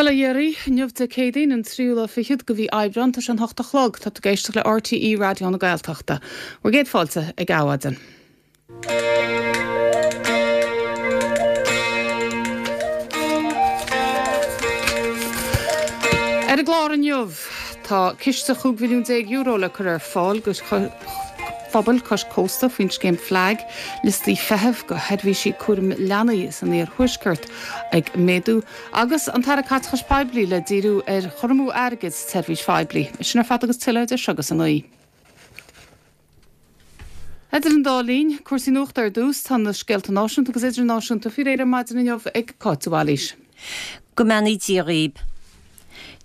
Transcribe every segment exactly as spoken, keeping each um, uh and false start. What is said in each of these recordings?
Bhuel, a Dhéirí, inniu Dé Céadaoin an tríú lá fichead de mhí Aibreán tá sé an hocht a chlog tá tú ag éisteacht le RTÉ Raidió na Gaeltachta. Bhur gcéad fáilte ag Adhmhaidin. Ar an gclár inniu tá ciste chúig mhilliún déag euro le cur ar fáil go phobail cois cósta faoin scéim FLAG, liostaí feithimh go sheirbhísí cúraim leanaí san iarthuaisceart ag méadú, agus an tAire Caiteachais Poiblí le díriú ar chur amú airgid sa tseirbhís phoiblí. Sin ar fad agus tuilleadh idir seo agus a naoi. Idir an dá linn, cúrsaí nuachta ar dtús, tá na scéalta náisiúnta agus idirnáisiúnta faoi réir ar maidin inniu ag Cáit de Bhailís. Go mbeannaí Dia dhaoib.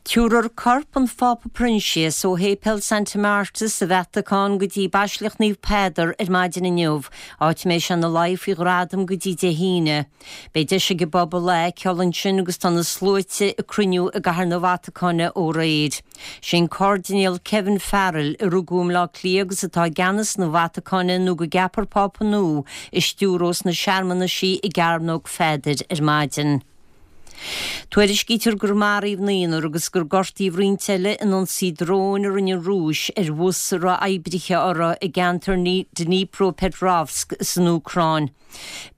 Tabharfar corp an Phápa Proinsias ó Shéipéal Santa Marta sa Vatacáin go dtí Baisleac Naomh Peadar ar maidin inniu, áit a mbeidh sé ina luí faoi ghradam go dtí Dé hAoine. Beidh deis ag an bpobal é a fheiceáil ansin agus tá na sluaite ag cruinniú i gCathair na Vatacáine ó aréir. Sé an Cairdinéal Kevin Farrell, a rugadh i mBleá Cliath agus atá i gceannas na Vatacáine nó go gceapfar Pápa nua, a stiúrós na searmanaisí i gCearnóg Pheadair ar maidin. Tuairiscítear gur maraíodh naonúr agus gur gortaíodh roinnt eile in ionsaí dróin a rinne an Rúis ar bhus a raibh oibrithe orthu i gceantar Dnipropetrovsk san Úcráin.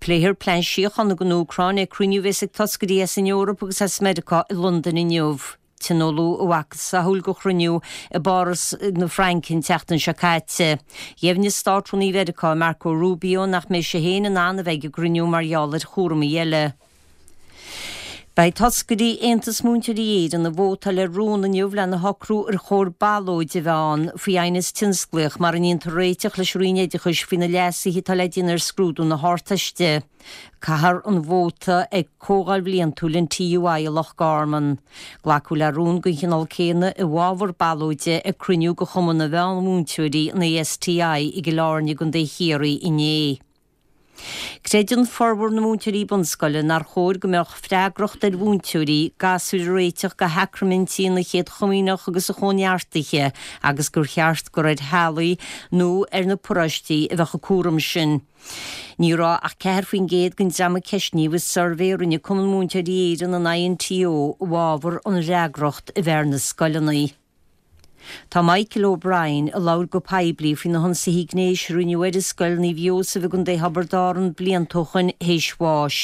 Pléifear plean síochána don Úcráin ag cruinniú a bheas ag toscairí as an Eoraip agus as Meiriceá i Londain inniu. Tionóladh a mhacasamhail de chruinniú i bPáras na Fraince an tseachtain seo caite. Dheimhnigh Státrúnaí Mheiriceá, Marco Rubio, nach mbeidh sé féin in ann a bheith ag an gcruinniú mar gheall ar chúramaí eile. Beidh toscairí Aontas Múinteoirí Éireann ag vótáil ar rún inniu lena shocrú ar chóir ballóid a bheith ann faoi aighneas tionsclaíoch mara ndéantar réiteach leis an Roinn Oideachais faoi na leasuithe atá le déanamh ar scrúdú na hArdteiste. Caithfear an vóta ag comhdháil bhliantúil an TUI i Loch Garman. Glacadh le rún den chineál céanna i bhfabhar ballóide ag cruinniú de Chumann na Meánmhúinteoirí, an ASTI, i gCill Airne i gContae Chiarraí inné. Creideann formhór na múinteoirí bunscoile nár chóir go mbeadh freagracht ar mhúinteoirí gasúir a réiteach go shacraimintí na Chéad Chomaoineach agus an Chóineartaithe agus gur cheart gur ar theaghlaigh nó ar na paróistí a bheadh an cúram sin. Ní raibh ach ceathair faoin gcéad den dream a ceistníodh i suirbhé a rinne Cumann Múinteoirí Éireann, an INTO, i bhfabhar an fhreagracht a bheith ar na scoileanna. Tá Michael O'Brien, a labhair go poiblí faoi na hionsaithe gnéis a rinneadh air i Scoil Naomh Iósaf i gContae Thiobraid Árann blianta ó shoin, théis bháis.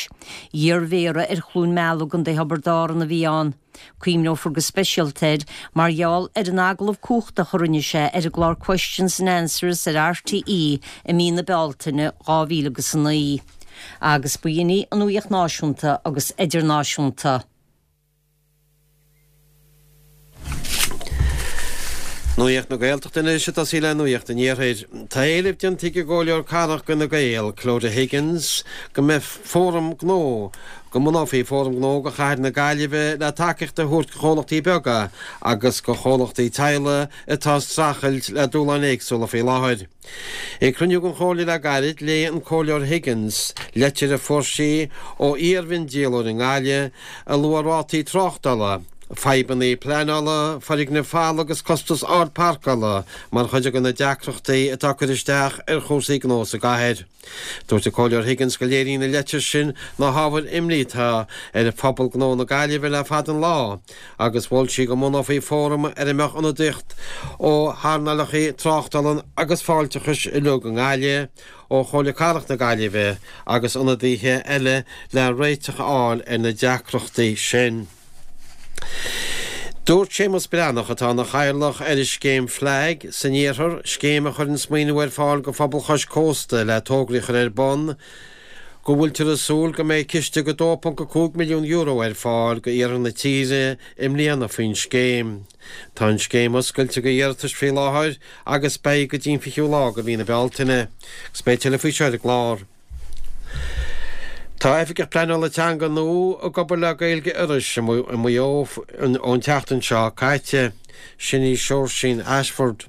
Iarmhéara ar Chluain Meala i gContae Thiobraid Árann a bhí ann. Cuimhneofar go speisialta air mar gheall ar an agallamh cumhachtach a rinne sé ar an gclár Questions and Answers ar RTÉ i mí na Bealtaine dhá mhíle agus a naoi. Agus ba shin í an nuacht náisiúnta agus idirnáisiúnta. Nuacht na Gaeltachta anois ag tosaí le Nuacht an Iarthair. Tá éileamh déanta ag an gComhairleoir Cathrach d'Fhine Gael, Clodagh Higgins, go mbeidh fóram gnó, go mbunófaí fóram gnó do chathair na Gaillimhe le tacaíocht a thabhairt do chomhlachtaí beaga agus do chomhlachtaí teaghlaigh atá ag streachailt le dúshláin éagsúla faoi láthair. Ag cruinniú den Chomhairle le gairid, léigh an Comhairleoir Higgins leitir a fuair sí ó iar-mhiondíolóir i nGaillimh a luaigh rátaí tráchtála, fadhbanna pleanála, foirgnimh mhalla agus costas ard páirceála mar chuid de na deacrachtaí atá ag cur isteach ar chúrsaí gnó sa gcathair. Dúirt an Comhairleoir Higgins go léiríonn an leitir sin na hábhair imní atá ar phobal gnó na Gaillimhe le fada an lá agus mhol sí go mbunófaí fóram ar a mbeadh ionadaíocht ó hearnálacha tráchtála agus fáilteachais uilig i nGaillimh, ó Chomhairle Cathrach na Gaillimhe agus ionadaithe eile le réiteach a fháil ar na deacrachtaí sin. Dúirt Séamus Breathnach, atá ina chathaoirleach ar an scéim FLAG san iarthar, scéim a chuireann maoiniú ar fáil go phobal chois cósta le tograí a chur ar bun, go bhfuiltear ag súil go mbeidh ciste de dó ponc a cúig milliún euro ar fáil go iarthar na tíre i mbliana faoin scéim. Tá an scéim oscailte go iarratais faoi láthair agus beidh go dtí an fichiú lá de mhí na Bealtaine. Agus beidh tuilleadh faoi seo ar an gclár. Tá Oifigeach Pleanála Teanga nua ag obair le Gaeilge Iorrais i Maigh Eo ón tseachtain seo caite. Sin í Seoirsín Ashford.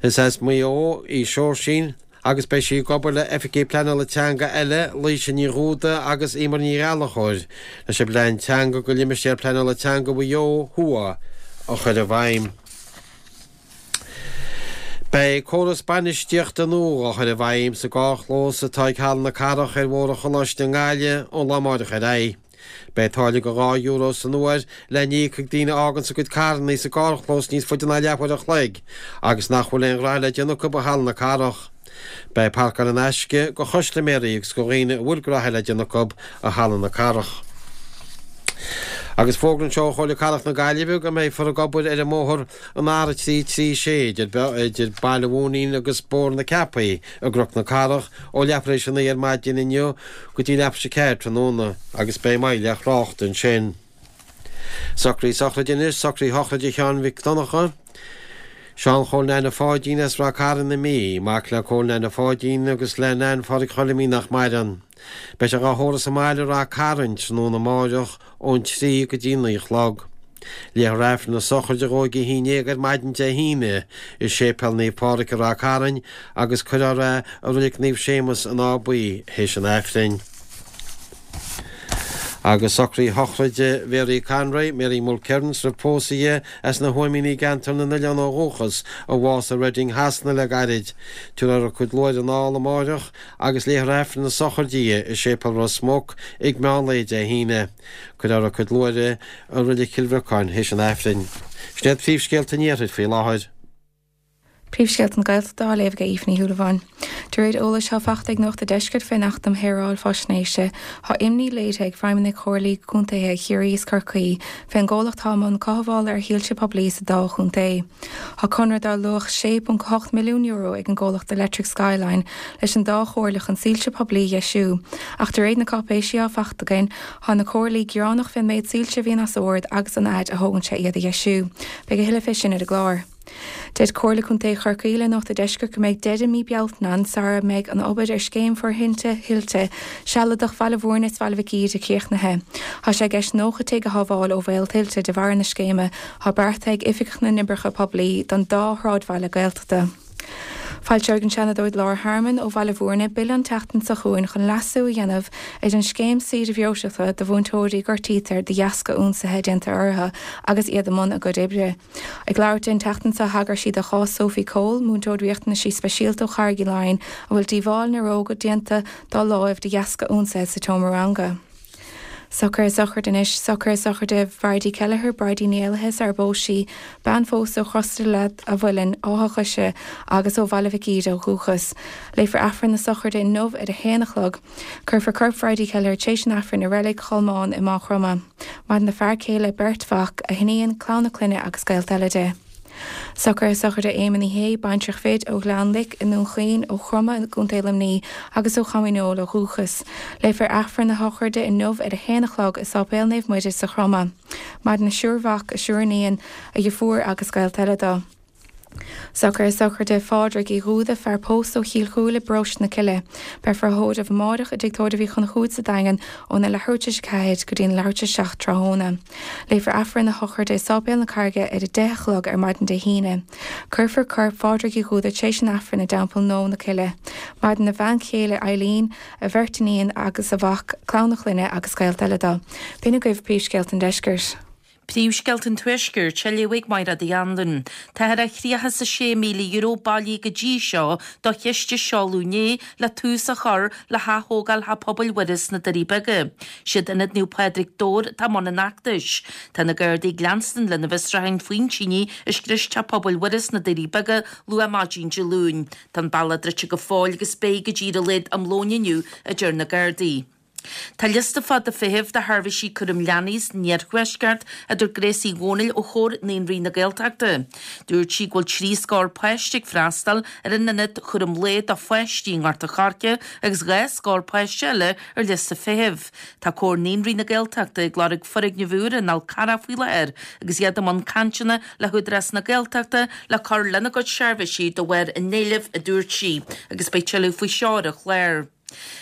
Is as Maigh Eo í Seoirsín agus beidh sí ag obair le Oifigigh Pleanála Teanga eile, Laoise Ní Dhúda agus Emer Ní Ghallchóir, leis an bplean teanga go Limistéar Pleanála Teanga Mhaigh Eo Thuaidh a chur i bhfeidhm. Beidh córas bainistíochta nua á chur i bhfeidhm sa gcarrchlós atá ag Halla na Cathrach ar Bhóthar an Choláiste i nGaillimh ón lá amáireach ar aghaidh. Beidh táille de dhá euro san uair le n-íoc ag daoine a fháganns a gcuid carranna sa gcarrchlós níos faide ná leathuair a chloig agus nach bhfuil aon ghraithe le déanamh acu i Halla na Cathrach. Beidh páirceáil in aisce do chustaiméirí agus do dhaoine a bhfuil graithe le déanamh acu i Halla na Cathrach. Agus fógra anseo ó Chomhairle Cathrach na Gaillimhe go mbeifear ag obair ar an mbóthar an R a trí trí sé idir Baile Mhúinín agus Bóthar na Ceapaí i gCnoc na Cathrach ó leathuair tar éis a naoi ar maidin inniu go dtí leathuair tar éis a ceathair tráthnóna agus beidh moill ar thrácht ansin. Socruithe sochraide anois, socruithe shochraide Sheáin Mhic Donncha, Seán Chóil Neaine Pháidín as Ráth Cairn na Mí, mac le Cóil Neaine Pháidín agus le Nain Phádraig Choilimín nach maireann. Beidh sé dhá thórramh sa mbaile i Ráth Cairn tráthnóna amáireach ón trí go dtí naoi a chlog. Léifear Aifreann na sochraide dhó ag a haon déag ar maidin Dé hAoine i Séipéal Naomh Pádraig i Ráth Cairn agus cuirfear é i Reilig Naomh Séamus an Áth Buí théis an Aifrinn. Agus socruithe shochraide Mhary Conroy, Mary Mulkerrins roimh pósadh di, as na hÓimíní i gCeantar na nOileán ó dhúchas, a bhásaigh i Reading Shasana le gairid. Tabharfar a cuid luaithre anall amáireach agus léifear Aifreann na sochraide di i Séipéal Ros Muc ag meán lae Dé hAoine. Cuirfear a cuid luaithre i Reilig Chill Bhriocáin théis an Aifrinn. Sin iad príomhscéalta an Iarthair faoi láthair. Príomhscéalta na Gaeltachta á léamh ag Aoife Ní Shúilleabháin. De réir eolais atá faighte ag Nuacht an Deiscirt fén Acht um Shaoráil Faisnéise, tá imní léirithe ag feidhmeannaigh Chomhairlí Contaetha Chiarraí is Chorcaí fén gcomhlacht atá i mbun cothabhála ar shoilse poiblí sa dá chontae. Tá conradh dar luach sé ponc ocht milliún euro ag an gcomhlacht Electric Skyline leis an dá chomhairle chun soilse poiblí a dheisiú, ach de réir na cáipéisí atá faighte againn, tá na comhairlí gearánach fén méid soilse a bhíonn as ord agus an fhaid a thógann sé iad a dheisiú. Beidh a thuilleadh fé sin ar an gclár. Deir Comhairle Contae Chorcaí le Nuacht an Deiscirt go mbeidh deireadh mí Bealtaine ann sara mbeidh an obair ar scéim forthinte thuilte sealadach Bhaile Mhúirne is Bhaile Mhic Íde críochnaithe. Tá sé i gceist nócha tigh a shábháil ó bhaol tuilte de bharr na scéime atá beartaithe ag Oifig na nOibreacha Poiblí don dá shráidbhaile Gaeltachta. Foilseoidh an Seanadóir Laura Harmon ó Bhaile Mhúirne bille an tseachtain seo chugainn chun leasú a dhéanamh ar an scéim saoire bhreoiteachta do mhúinteoirí a gortaítear de dheasca ionsaithe déanta orthu agus iad i mbun a gcuid oibre. Ag labhairt di an tseachtain seo thagair sí do chás Sophie Cole, múinteoir riachtanaisí speisialta ó Charraig Uí Leighin a bhfuil díobháil néaróga déanta dá láimh de dheasca ionsaithe sa tseomra ranga. Socruithe sochraide anois, socruithe sochraide Bhridie Kelleher, Bridie Ní Éalaithe sar ar phós sí, bean phósta ó Chros an Mhuilinn, Áth Choise agus ó Bhaile Mhic Íde ó dhúchas. Léifear Aifreann na sochraide inniu ar a haon a chlog. Cuirfear corp Bhridie Kelleher tar éis an Aifrinn i Reilig Cholmáin i Maigh Chromtha. Maireann a fear céile, beirt mhac, a hiníon, clann a clainne agus gaolta eile di. Socruithe sochraide Éamonn Uí Shé, baintreach fir ó Ghleann Lic i nDún Chaoin, ó Chromtha i gContae Luimnigh agus ó Chom Dhíneol ó dhúchas. Léifear Aifreann na sochraide inniu ar a haon a chlog i Sáipéal Naomh Muire sa Chromadh. Maireann a triúr mhac, a triúr iníon, a dheirfiúr agus gaolta eile dó. Socruithe sochraide Phádraig Uí Dhúda, fear pósta ó Chill Chúile i bparóiste na Cille. Beifear á thórramh amáireach i dTigh Tórraimh Uí Chonchúir sa Daingean óna leathuair tar éis a ceathair go dtí an leathuair tar éis a seacht tráthnóna. Léifear Aifreann na sochraide i Sáipéal na Carraige ar a deich a chlog ar maidin Dé hAoine. Cuirfear corp Phádraig Uí Dhúda tar éis an Aifrinn i dTeampall Nó na Cille. Maireann a bhean chéile Eileen, a bheirt iníon agus a mhac, clann a clainne agus gaolta eile dó. B'in agaibh príomhscéalta an deiscirt. Príomhscéalta an Tuaiscirt á léamh ag Máire Uí Anluain. Táthar ar thríocha is a sé míle euro bailithe go dtí seo do chiste seoladh inné le tús a chur le hathógáil Theach Pobail Mhuire sna Doirí Beaga. Siad Ionad Naomh Pádraig Dobhair atá i mbun an fheachtais. Tá na Gardaí ag leanstan lena bhfiosrúcháin faoin tine a scrios Teach Pobail Mhuire sna Doirí Beaga luath maidin Dé Luain. Tá an bealach druidte go fóill agus beidh go dtí ar a laghad am lóin inniu, a deir na Gardaí. Tá liosta fada feithimh do sheirbhísí cúraim leanaí san iarthuaisceart, a dúirt Grace Uí Dhónaill ó Chomhar Naíonraí na Gaeltachta. Dúirt sí go bhfuil trí scór páiste ag freastal ar an ionad chúram lae do pháistí i nGort an Choirce agus dhá scór páiste eile ar liosta feithimh. Tá Comhar Naíonraí na Gaeltachta ag lorg foirgneamh úr i nDál Carrach faoi láthair agus iad i mbun cainteanna le hÚdarás na Gaeltachta le cur lena gcuid seirbhísí de bharr an éilimh, a dúirt sí, agus beidh tuilleadh faoi seo ar an chlár.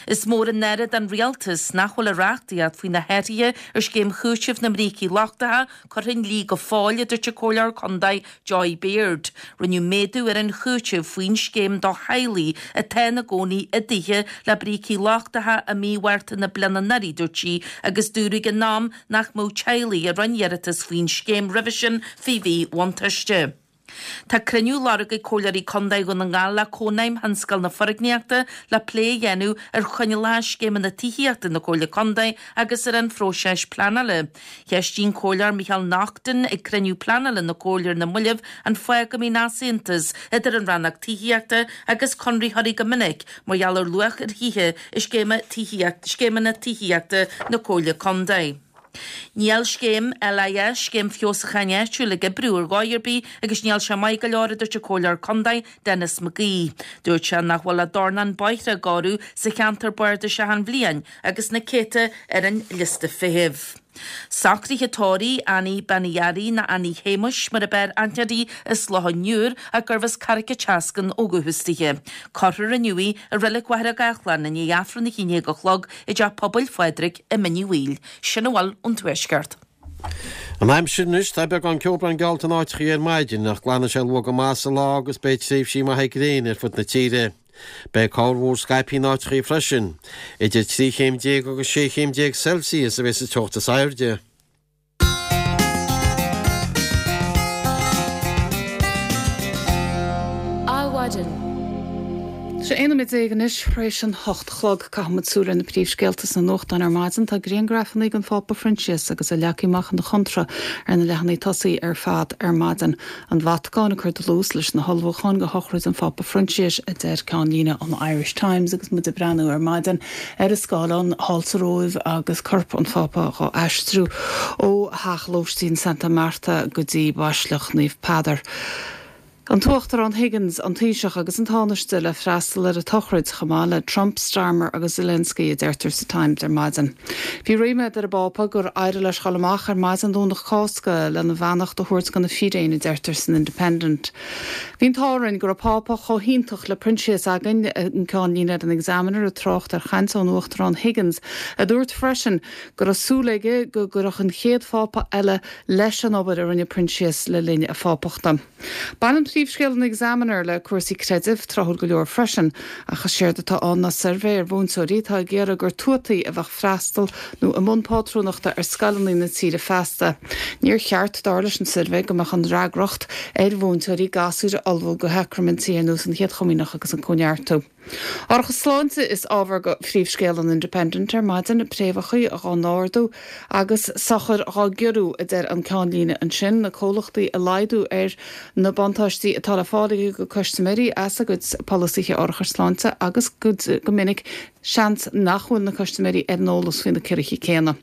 Is mór an náire don rialtas nach bhfuil an reachtaíocht faoi na hathruithe ar scéim chúitimh na mbrící lochtacha curtha i ndlí go fóill, a dúirt an Comhairleoir Contae Joy Beard. Rinneadh méadú ar an chúiteamh faoin scéim do theaghlaigh atá ina gcónaí i dtithe le brící lochtacha i mí Mhárta na bliana anuraidh, dúirt sí, agus dúradh ag an am nach mbeadh teaghlaigh a rinne iarratas faoin scéim roimhe sin faoi mhíbhuntáiste. Tá cruinniú lorgtha ag Comhairleoirí Contae Dhún na nGall le Cónaidhm Thionscal na Foirgníochta le plé a dhéanamh ar choinníollacha scéimeanna tithíochta na Comhairle Contae agus ar an phróiseas pleanála. Cheistigh an Comhairleoir Micheál Naughton ag cruinniú pleanála na Comhairle ar na mallaibh an fáth go mbíonn easaontas idir an rannóg tithíochta agus conraitheoirí go minic mar gheall ar luach ar thithe i scéimeanna tithíochta na Comhairle Contae. Níl scéim LIS, Scéim Feabhsúcháin Áitiúil, ag oibriú ar dhóigh ar bith agus níl sé maith go leor, a dúirt an Comhairleoir Contae Denis McGee. Dúirt sé nach bhfuil ach dornán bóithre á gcóiriú sa cheantar bardais achan bhliain agus na céadta ar an liosta feithimh. Socruithe tórraimh Annie Bean Uí Fhearraigh nó Annie Shéamuis mar ab fhearr aithne uirthi as Loch an Iúir ach gurbh as Carraig an tSeascainn ó dhúchas dithe. Cuirfear inniu í i Reilig Mhachaire Gathlán i ndiaidh Aifreann a haon déag a chlog i dTeach Pobail Phádraig i Mín Uí Bhaoill. Sin a bhfuil ón Tuaisceart. An aimsir anois, tá beagán ceobhrán geallta in áiteachaí ar maidin, ach glanfaidh sé luath go maith sa lá agus beidh tréimhsí maithe gréine ar fud na tíre. Beidh corrmhúr scaipthe in áiteachaí freisin. Idir trí chéim déag agus sé chéim déag Celsius a bheas an teocht is airde. Adhmhaidin. Sé aon nóiméad déag anois tar éis an hocht a chlog. Caithfimid súil ar na príomhscéalta sna nuachtáin ar maidin. Tá grianghrafanna den Phápa Proinsias agus a leagtha amach ina chontra ar na leathanaigh tosaigh ar fad ar maidin. An Vatacáin ag cur dlús leis na hullmhúcháin do shochraid an Phápa Phroinsiais, a deir ceannlíne an Irish Times agus muid ag breathnú ar maidin ar an scáileán thall sa Róimh agus corp an Phápa dhá aistriú ó theach lóistín Santa Marta go dtí Baisleac Naomh Peadar. An tUachtarán Higgins, an Taoiseach agus an Tánaiste le freastal ar an tsochraid, chomh maith le Trump, Starmer agus Zelensky, a deirtear sa Times ar maidin. Bhí ríméad ar an bPápa gur éirigh leis dhul amach ar maidin Domhnach Cásca lena bheannacht a thabhairt do na fíréin, a deirtear san Independent. Bhí an t-ádh orainn go raibh Pápa chomh hiontach le Proinsias againn, an ceannlíne ar an Examiner ag trácht ar chaint ón Uachtarán Higgins, a dúirt freisin go raibh súil aige go gcuirfeadh an chéad Phápa eile leis an obair a rinne Proinsias le linn a phápachta. Baineann príomhscéal an Examiner le cúrsaí creidimh, tráthúil go leor freisin, ach is éard atá ann ná suirbhé ar mhúinteoirí atá ag iarraidh gur tuataí a bheadh freastal nó i mbun pátrúnachta ar scoileanna na tíre feasta. Níor cheart, dar leis an suirbhé, go mbeadh an fhreagracht ar mhúinteoirí gasúir a ullmhú do shacraimintí ar nós an Chéad Chomaoineach agus an Cóineartú. Árachas sláinte is ábhar do phríomhscéal an Independent ar maidin, préamhacha dhá n-ardú agus sochair dhá gciorrú, a deir an ceannlíne ansin, na comhlachtaí ag laghdú ar na buntáistí atá le fáil ag a gcuid custaiméirí as a gcuid polasaithe árachais sláinte agus go minic seans nach bhfuil na custaiméirí ar an eolas faoi na ciorruithe céanna.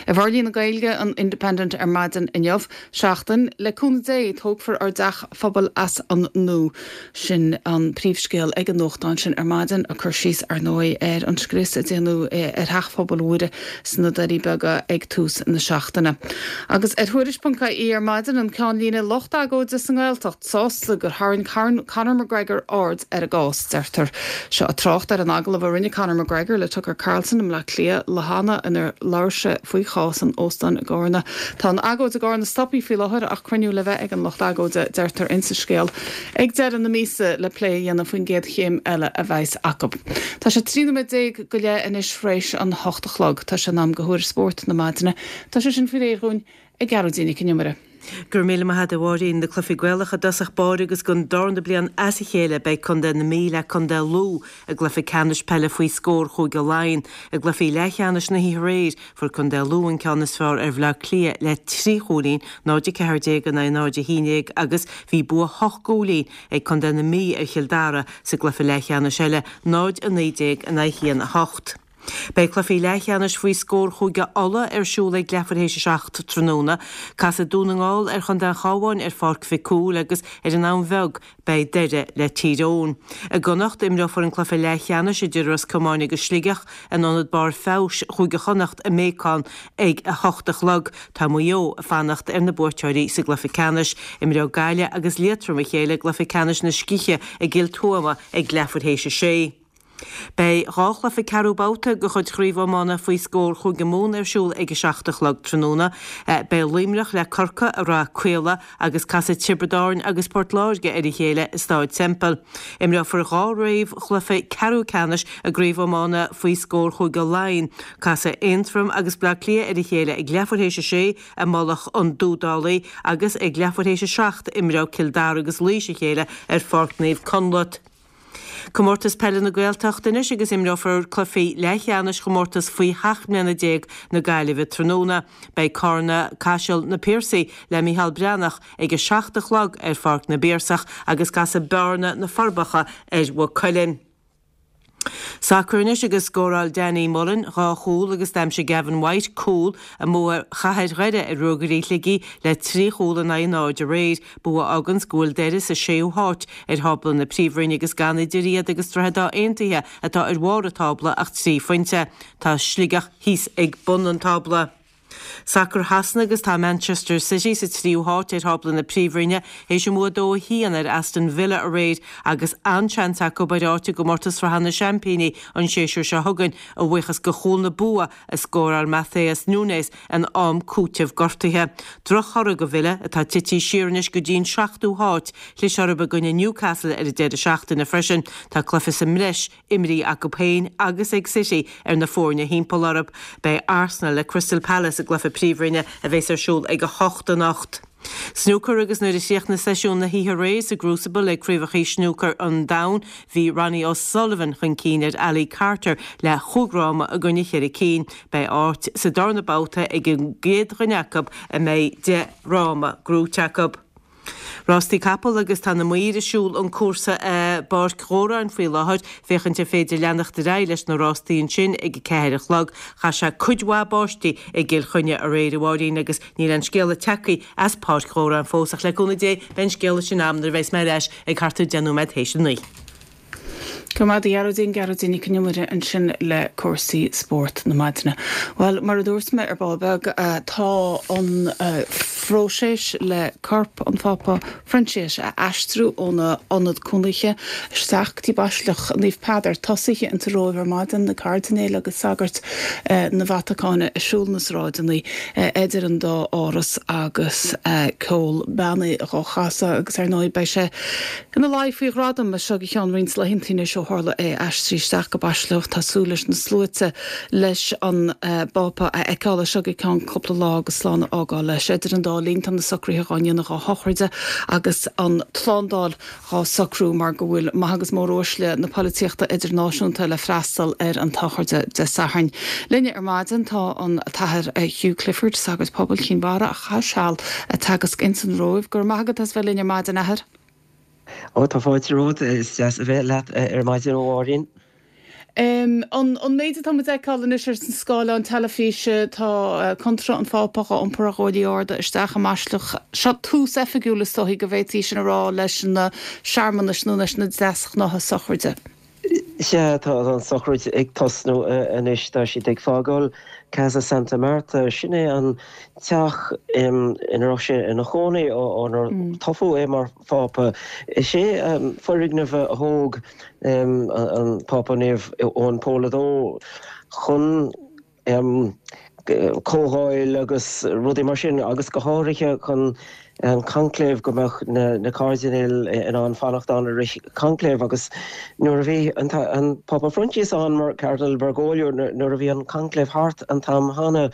I bhforlíonadh Gaeilge an Independent ar maidin inniu, Seachtain, le cúnamh Dé, tógfar ár dteach phobail as an nua. Sin an príomhscéal ag an nuachtán sin ar maidin, ag cur síos, ar ndóigh, ar an scrios a déanadh ar Theach Phobail Mhuire sna Doirí Beaga ag tús na seachtaine. Agus ar Thuairisc ponc ie ar maidin, an ceannlíne lucht agóide sa nGaeltacht sásta gur tharraing Conor McGregor aird ar a gcás, deirtear. Seo ag trácht ar an agallamh a rinne Conor McGregor le Tucker Carlson i mBleá Cliath lá cheana inar labhair sé faoi chás an óstáin i gCarna. Tá an agóid i gCarna stoptha faoi láthair ach cruinniú le bheith ag an lucht agóide, deirtear insa scéal, ag deireadh na míosa le plé a dhéanamh faoin gcéad chéim eile a bheas acu. Tá sé trí nóiméad déag go leith anois tar éis an hocht a chlog. Tá sé in am do Thuairisc Spóirt na maidine. Tá sé sin faoi réir dhúinn ag Gearóidín Nic an Iomaire. Go raibh míle maith agat a Mháirín. Na cluichí Gaelacha i dtosach báire agus don darna bliain as a chéile beidh Contae na Mí le Contae Lú i gcluiche ceannais peile faoi scór Chúige Laighean. I gcluichí leathcheannais na hoíche aréir fuair Contae Lú an ceann is fearr ar Bhleá Cliath le trí chúilín, náid a ceathair déag in aghaidh náid a haon déag agus bhí bua hocht gcúilín ag Contae na Mí ar Chill Dara sa gcluiche leathcheannais eile, náid a naoi déag in aghaidh a haon a hocht. Beidh cluichí leathcheannais faoi scór Chúige Uladh ar siúl ag leathuair théis a seacht tráthnóna. Casfaidh Dún na nGall ar Chontae an Chabháin ar Pháirc Mhic Cumhaill agus ar an am bheag beidh Doire le Tír Eoghain. I gConnacht imreofar an cluiche leathcheannais idir Ros Comáin agus Sligeach in Ionad Barr Feabhais Chúige Chonnacht i mBéacán ag a hocht a chlog. Tá Maigh Eo ag fanacht ar na buaiteoirí sa gcluiche ceannais. Imreoidh Gaillimh agus Liatroim a chéile i gcluiche ceannais na scíthe i gCill Tuama ag leathuair théis a sé. Beidh dhá chluiche ceathrú babhta de chuid Chraobh Iomána faoi scór Chúige Mumhan ar siúl ag a seacht a chlog tráthnóna. Beidh Luimneach le Corcaigh i Rath Caola agus casfaidh Tiobraid Árann agus Port Láirge ar a chéile i Stáid Semple. Imreofar dhá réamhchluiche ceathrú ceannais i gCraobh Iomána faoi scór Chúige Laighean. Casfaidh Aontroim agus Bleá Cliath ar a chéile ag leathuair théis a sé i Mullach an Dúdálaigh agus ag leathuair théis a seacht imreoidh Cill Dara agus Laois a chéile ar Pháirc Naomh Conleth. Comórtas Peile na Gaeltachta anois agus imreofar cluichí leathcheannais chomórtas faoi sheacht mbliana déag na Gaillimhe tráthnóna. Beidh Carna Caiseal Na Piarsaigh le Micheál Breathnach ag a seacht a chlog ar Pháirc na bPiarsach agus casfaidh Bearna Na Forbacha ar Mhaigh Cuilinn. Sacar anois agus scóráil Danny Mullen dhá chúl agus d'aimsigh Gavin White cúl i mbua Chathair Dhoire ar Ruagairí Shligigh le trí chúl in aghaidh náid aréir, bua a fháganns go bhfuil Doire sa séú háit ar thábla na Príomhroinne agus gan idir iad agus Droichead Átha Aontaithe atá ar bharr an tábla ach trí phointe. Tá Sligeach thíos ag bun an tábla. Sacar Shasana agus tá Manchester City sa tríú háit ar thábla na Príomhroinne théis a mbua dó a haon ar Aston Villa aréir agus an-seans acu ar áit i gcomórtas Sraithe na Seaimpíní an séasúr seo chugainn, a bhuíochas do chúl na bua a scóráil Matheus Nunes in am cúitimh gortaithe. Drochthoradh do Villa, atá tite siar anois go dtí an seachtú háit. Chlis orthu i gcoinne Newcastle ar an deireadh seachtaine freisin. Tá cluiche sa mbreis imrithe acu féin agus ag City ar na foirne thimpeall orthu. Beidh Arsenal le Crystal Palace i gcluiche Príomhroinne a bheas ar siúl ag a hocht anocht. Snúcar agus nuair a chríochnaigh seisiún na hoíche aréir sa gCrucible ag Craobhacha Snúcair an Domhain, bhí Ronnie O'Sullivan chun cinn ar Ali Carter le chúig fhráma i gcoinne cheithre cinn. Beidh áit sa darna babhta ag an gcéad dhuine acu a mbeidh deich bhfráma gnóite acu. Rástaí capall agus tá na maoir ag siúl an cúrsa i bPáirc Dhóráin faoi láthair féachaint ar féidir leanacht ar aghaidh leis na rástaí ansin ag a ceathair a chlog. Chaith sé cuid mhaith báistí i gCill Chainnigh aréir, a Mháirín, agus níl aon scéala tagtha as Páirc Dhóráin fós ach le cúnamh Dé beidh an scéala sin agam nuair a bheas mé ar ais ag thart ar deich nóiméad théis a naoi. Go raibh maith agat a Ghearóidín, Gearóidín Nic an Iomaire ansin le cúrsaí spóirt na maidine. Bhuel, mar a dúirt mé ar ball beag, tá an phróiseas le corp an Phápa Proinsias a aistriú óna ionad cónaithe isteach go dtí Baisleac Naomh Peadar tosaithe insa Róimh ar maidin, na cairdinéil agus sagairt na Vatacáine ag siúl na sráideanna idir an dá áras agus ceol beannaithe dhá chasadh agus ar ndóigh beidh sé ina luí faoi ghradam as seo go ceann roinnt laethanta anois ó tharla é aistriú isteach go Baisleac. Tá súil leis na sluaite leis an bPápa a fheiceáil as seo go ceann cúpla lá agus slán a fhágáil leis. Idir an dá linn tá na socruithe dhá ndéanamh dá shochraide agus an tslándáil dhá socrú mar go bhfuil maithe agus móruaisle na polaitíochta idirnáisiúnta le freastal ar an tsochraide Dé Sathairn. Linne ar maidin tá an tAthair Hugh Clifford, sagart pobail Chinn Mhara a chaith seal ag teagasc ins an Róimh. Go raibh maith agat as bheith linn ar maidin, Athair. Ó, tá fáilte romhat. Is deas a bheith leat ar maidin, a Mháirín. An an méid atá muid a fheiceáil anois ar an scáileán teilifíse, tá contráth an Phápa dhá iompar ar ghuaillí arda isteach i mBaisleac. Seo tús oifigiúil, is dóichí go bhféadfaí sin a rá, leis na searmanais nó leis na deasghnátha sochraide. Sea, tá an tsochraid ag tosnú anois. Tá siad ag fágáil Casa Santa Marta. Sin é an teach ina raibh sé ina chónaí ónar toghadh é mar Phápa. Is é foirgneamh a thóg an Pápa Naomh Eoin Pól a Dó chun comhdháil agus rudaí mar sin agus go háirithe chun an conclave, go mbeadh na cairdinéil in ann fanacht ann i rith conclave agus nuair a bhí an Pápa Proinsias ann mar Cardinal Bergoglio nuair a bhí an conclave thart an t-am cheana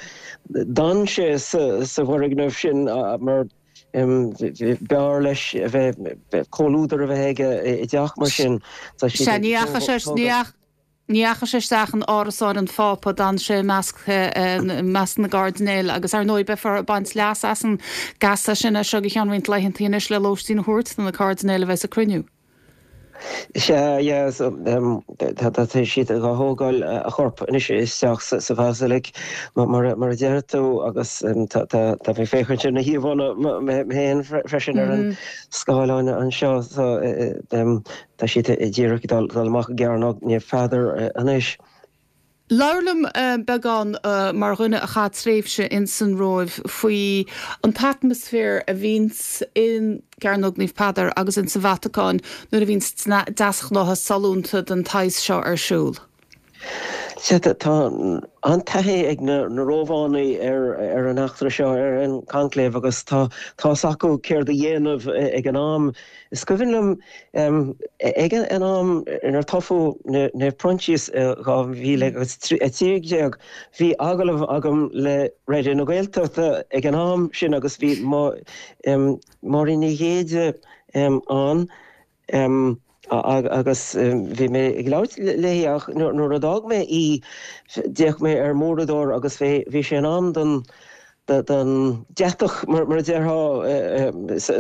d'fhan sé sa bhfoirgneamh sin mar b'fhearr leis a bheith comhluadar a bheith aige i dteach mar sin. Tá siad Sea, ní dheachaigh sé, ní Ní dheachaigh sé isteach in árasáin an Phápa, d'fhan sé i measc measc na gcairdinéal agus ar ndóigh beifear ag baint leas as an gcasa sin as seo go ceann roinnt laethanta anois le lóistín a thabhairt do na cairdinéil a bheas ag cruinniú. Sea, yeah, so tá siad ag thógáil a chorp anois isteach sa bhasilic mar a deir tú agus tá mé ag féachaint ar na híomhánna mé féin freisin ar an scáileán anseo so Tá siad díreach ag dul amach i gCearnóg Naomh Peadar anois. Labhair liom beagán mar dhuine a chaith tréimhse ins an Róimh faoi an t-atmaisféar a bhíonns in gCearnóg Naomh Peadar agus ins an Vatacáin nuair a bhíonns deasghnátha sollúnta den tsaghas seo ar siúl. Sea, tá an-taithí ag na Rómhánaigh ar an eachtra seo, ar an gconclave, agus tá tá's acu céard a dhéanamh ag an am. Is cuimhin liom ag an am inar toghadh Naomh Proinsias i dhá mhíle agus a trí déag, bhí agallamh agam le Raidió na Gaeltachta ag an am sin agus bhí Máirín Ní Ghéide ann. Agus bhí mé ag labhairt léi ach nuair a d'fhág mé í d'fhéach mé ar m'uaireadóir agus bhí sé in am don don deatach mar a déarfá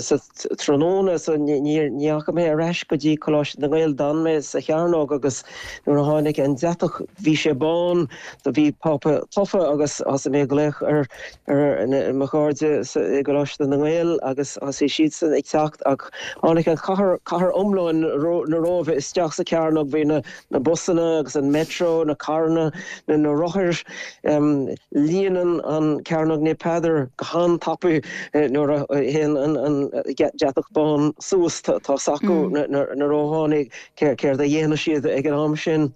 sa tráthnóna so ní dheachaigh mé ar ais go dtí Coláiste na nGael, d'fhan mé sa chearnóg agus nuair a tháinig an deatach bhí sé bán so bhí Pápa tofa agus thosaigh mé ag glaoch ar ar mo chairde i gColáiste na nGael agus thosaigh siadsan ag teacht ach tháinig an chathair, cathair iomlán na Róimhe isteach sa chearnóg, bhí na na busanna agus an metro, na carranna, na na rothair, líonann an cearnóg Naomh Peadar go han-tapaidh nuair a théann an an deatach bán suas, tá's acu na na Rómhánaigh céard a dhéanfaidh siad ag an am sin.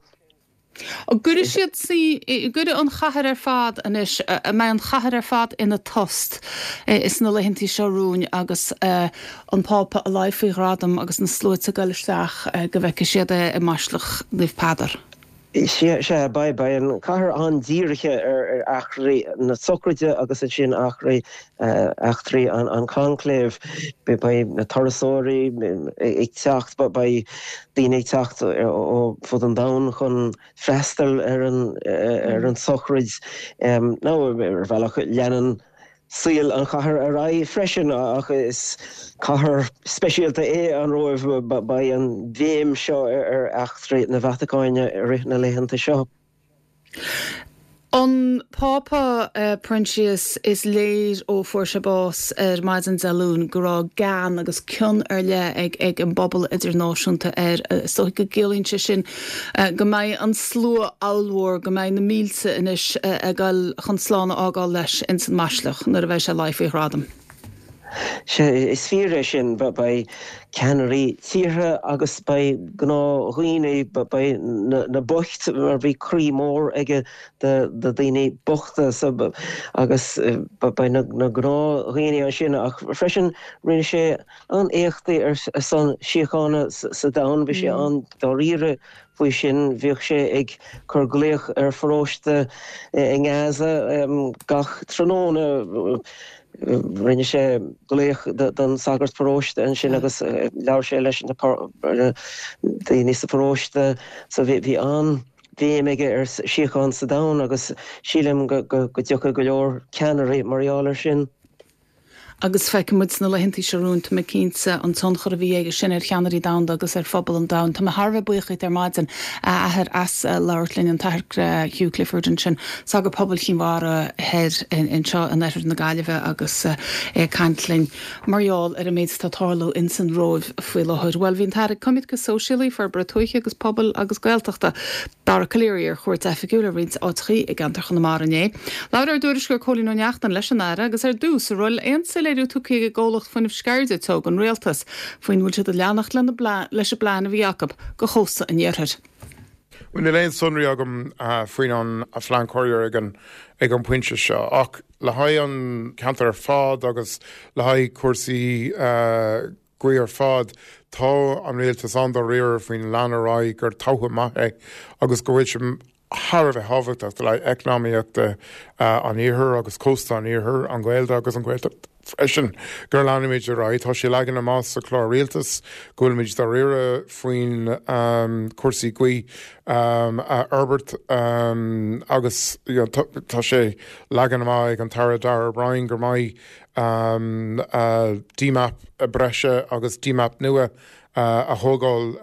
An gcuirfidh siad, gcuirfidh an chathair ar fad anois, an mbeidh an chathair ar fad ina tost sna laethantaí seo romhainn agus an Pápa á leigh faoi ghradam agus na sluaite ag dul isteach go bhfeicfidh siad é i mBaisleac Naomh Peadar? Sea, sea, beidh, beidh an chathair an-dírithe ar eachtraí na sochraide agus ansin eachtraí, eachtraí an conclave. Beidh na turasóirí ag teacht, beidh daoine ag teacht ó fud an domhain chun freastal ar an ar an tsochraid. Nó ar bhealach leanann saol an chathair ar aghaidh freisin ach is cathair speisialta é an Róimh. Beidh an bhéim seo ar eachtraí na Vatacáine i rith na laethanta seo. An Pápa Proinsias, is léir ó fuair sé bás ar maidin Dé Luain go raibh gean agus cion ar leith ag ag an bpobal idirnáisiúnta air. Is dóigh go gciallaíonn sé sin go mbeidh an slua ollmhór, go mbeidh na mílte anois ag dul chun slán a fhágáil leis ins an mBaisleac nuair a bheidh sé leigh faoi ghradam. Sea, is fíor é sin. Beidh ceannairí tíortha agus beidh gnáthdhaoine, beidh na boicht, mar bhí croí mór aige do dhaoine bochta agus beidh na gnáthdhaoine ansin ach freisin rinne sé an-éachtaí ar son síochána sa domhan, bhí sé an-dáiríre faoi sin. Bhíodh sé ag cur glaoch ar pharóiste i nGaza gach tráthnóna. Rinne sé glaoch don sagart paróiste ansin agus labhair sé leis na daoine sa pharóiste. So bhí an-bhéim aige ar síocháin sa domhan agus sílim go dtiocfaidh go leor ceannairí mar gheall air sin. Agus feicfidh muid sna laethanta seo romhainn, tá mé cinnte, an tionchar a bhí aige sin ar cheannairí domhanda agus ar phobal an domhain. Tá mé thar a bheith buíoch díot ar maidin, a Athair, as labhairt linn, an tAthair Hugh Clifford ansin, sagart pobail Chinn Mhara thoir anseo in oirthear na Gaillimhe agus é ag caint linn mar gheall ar an méid atá ag tarlú ins an Róimh faoi láthair. Bhuel, bhí an tAire Coimirce Sóisialaí, Forbartha Tuaithe agus Pobail agus Gaeltachta, Dara Calleary ar chuairt oifigiúil ar roinnt áiteachaí i gceantar Chonamara inné. Labhair ár dtuairisceoir Cóilín Ó Neachtain leis an Aire agus ar dtús, an bhfuil aon soiléiriú tugtha ag an gcomhlacht fuinnimh Sceirde Teo don Rialtas faoin bhfuil siad ag leanacht leis an bplean a bhí acu do chósta an iarthair. Bhuel, níl aon sonraí agam faoin an phlean cóirithe ag an ag an bpointe seo ach le haghaidh an ceantar ar fad agus le haghaidh cúrsaí gaoithe ar fad, tá an rialtas an-dáiríre faoin lean ar aghaidh gur togha maith é agus go bhfuil sé thar a bheith tábhachtach le haghaidh eacnamaíochta an iarthair agus cósta an iarthair, an Ghaeilge agus an Ghaeltacht freisin, gur leanfaimid ar aghaidh. Tá sé leagan amach sa chlár rialtais go bhfuilimid dáiríre faoin cúrsaí gaoithe a fhorbairt agus tá sé leagan amach ag an tAire Darragh O'Brien gur mbeidh dmap breise agus dmap nua a thógáil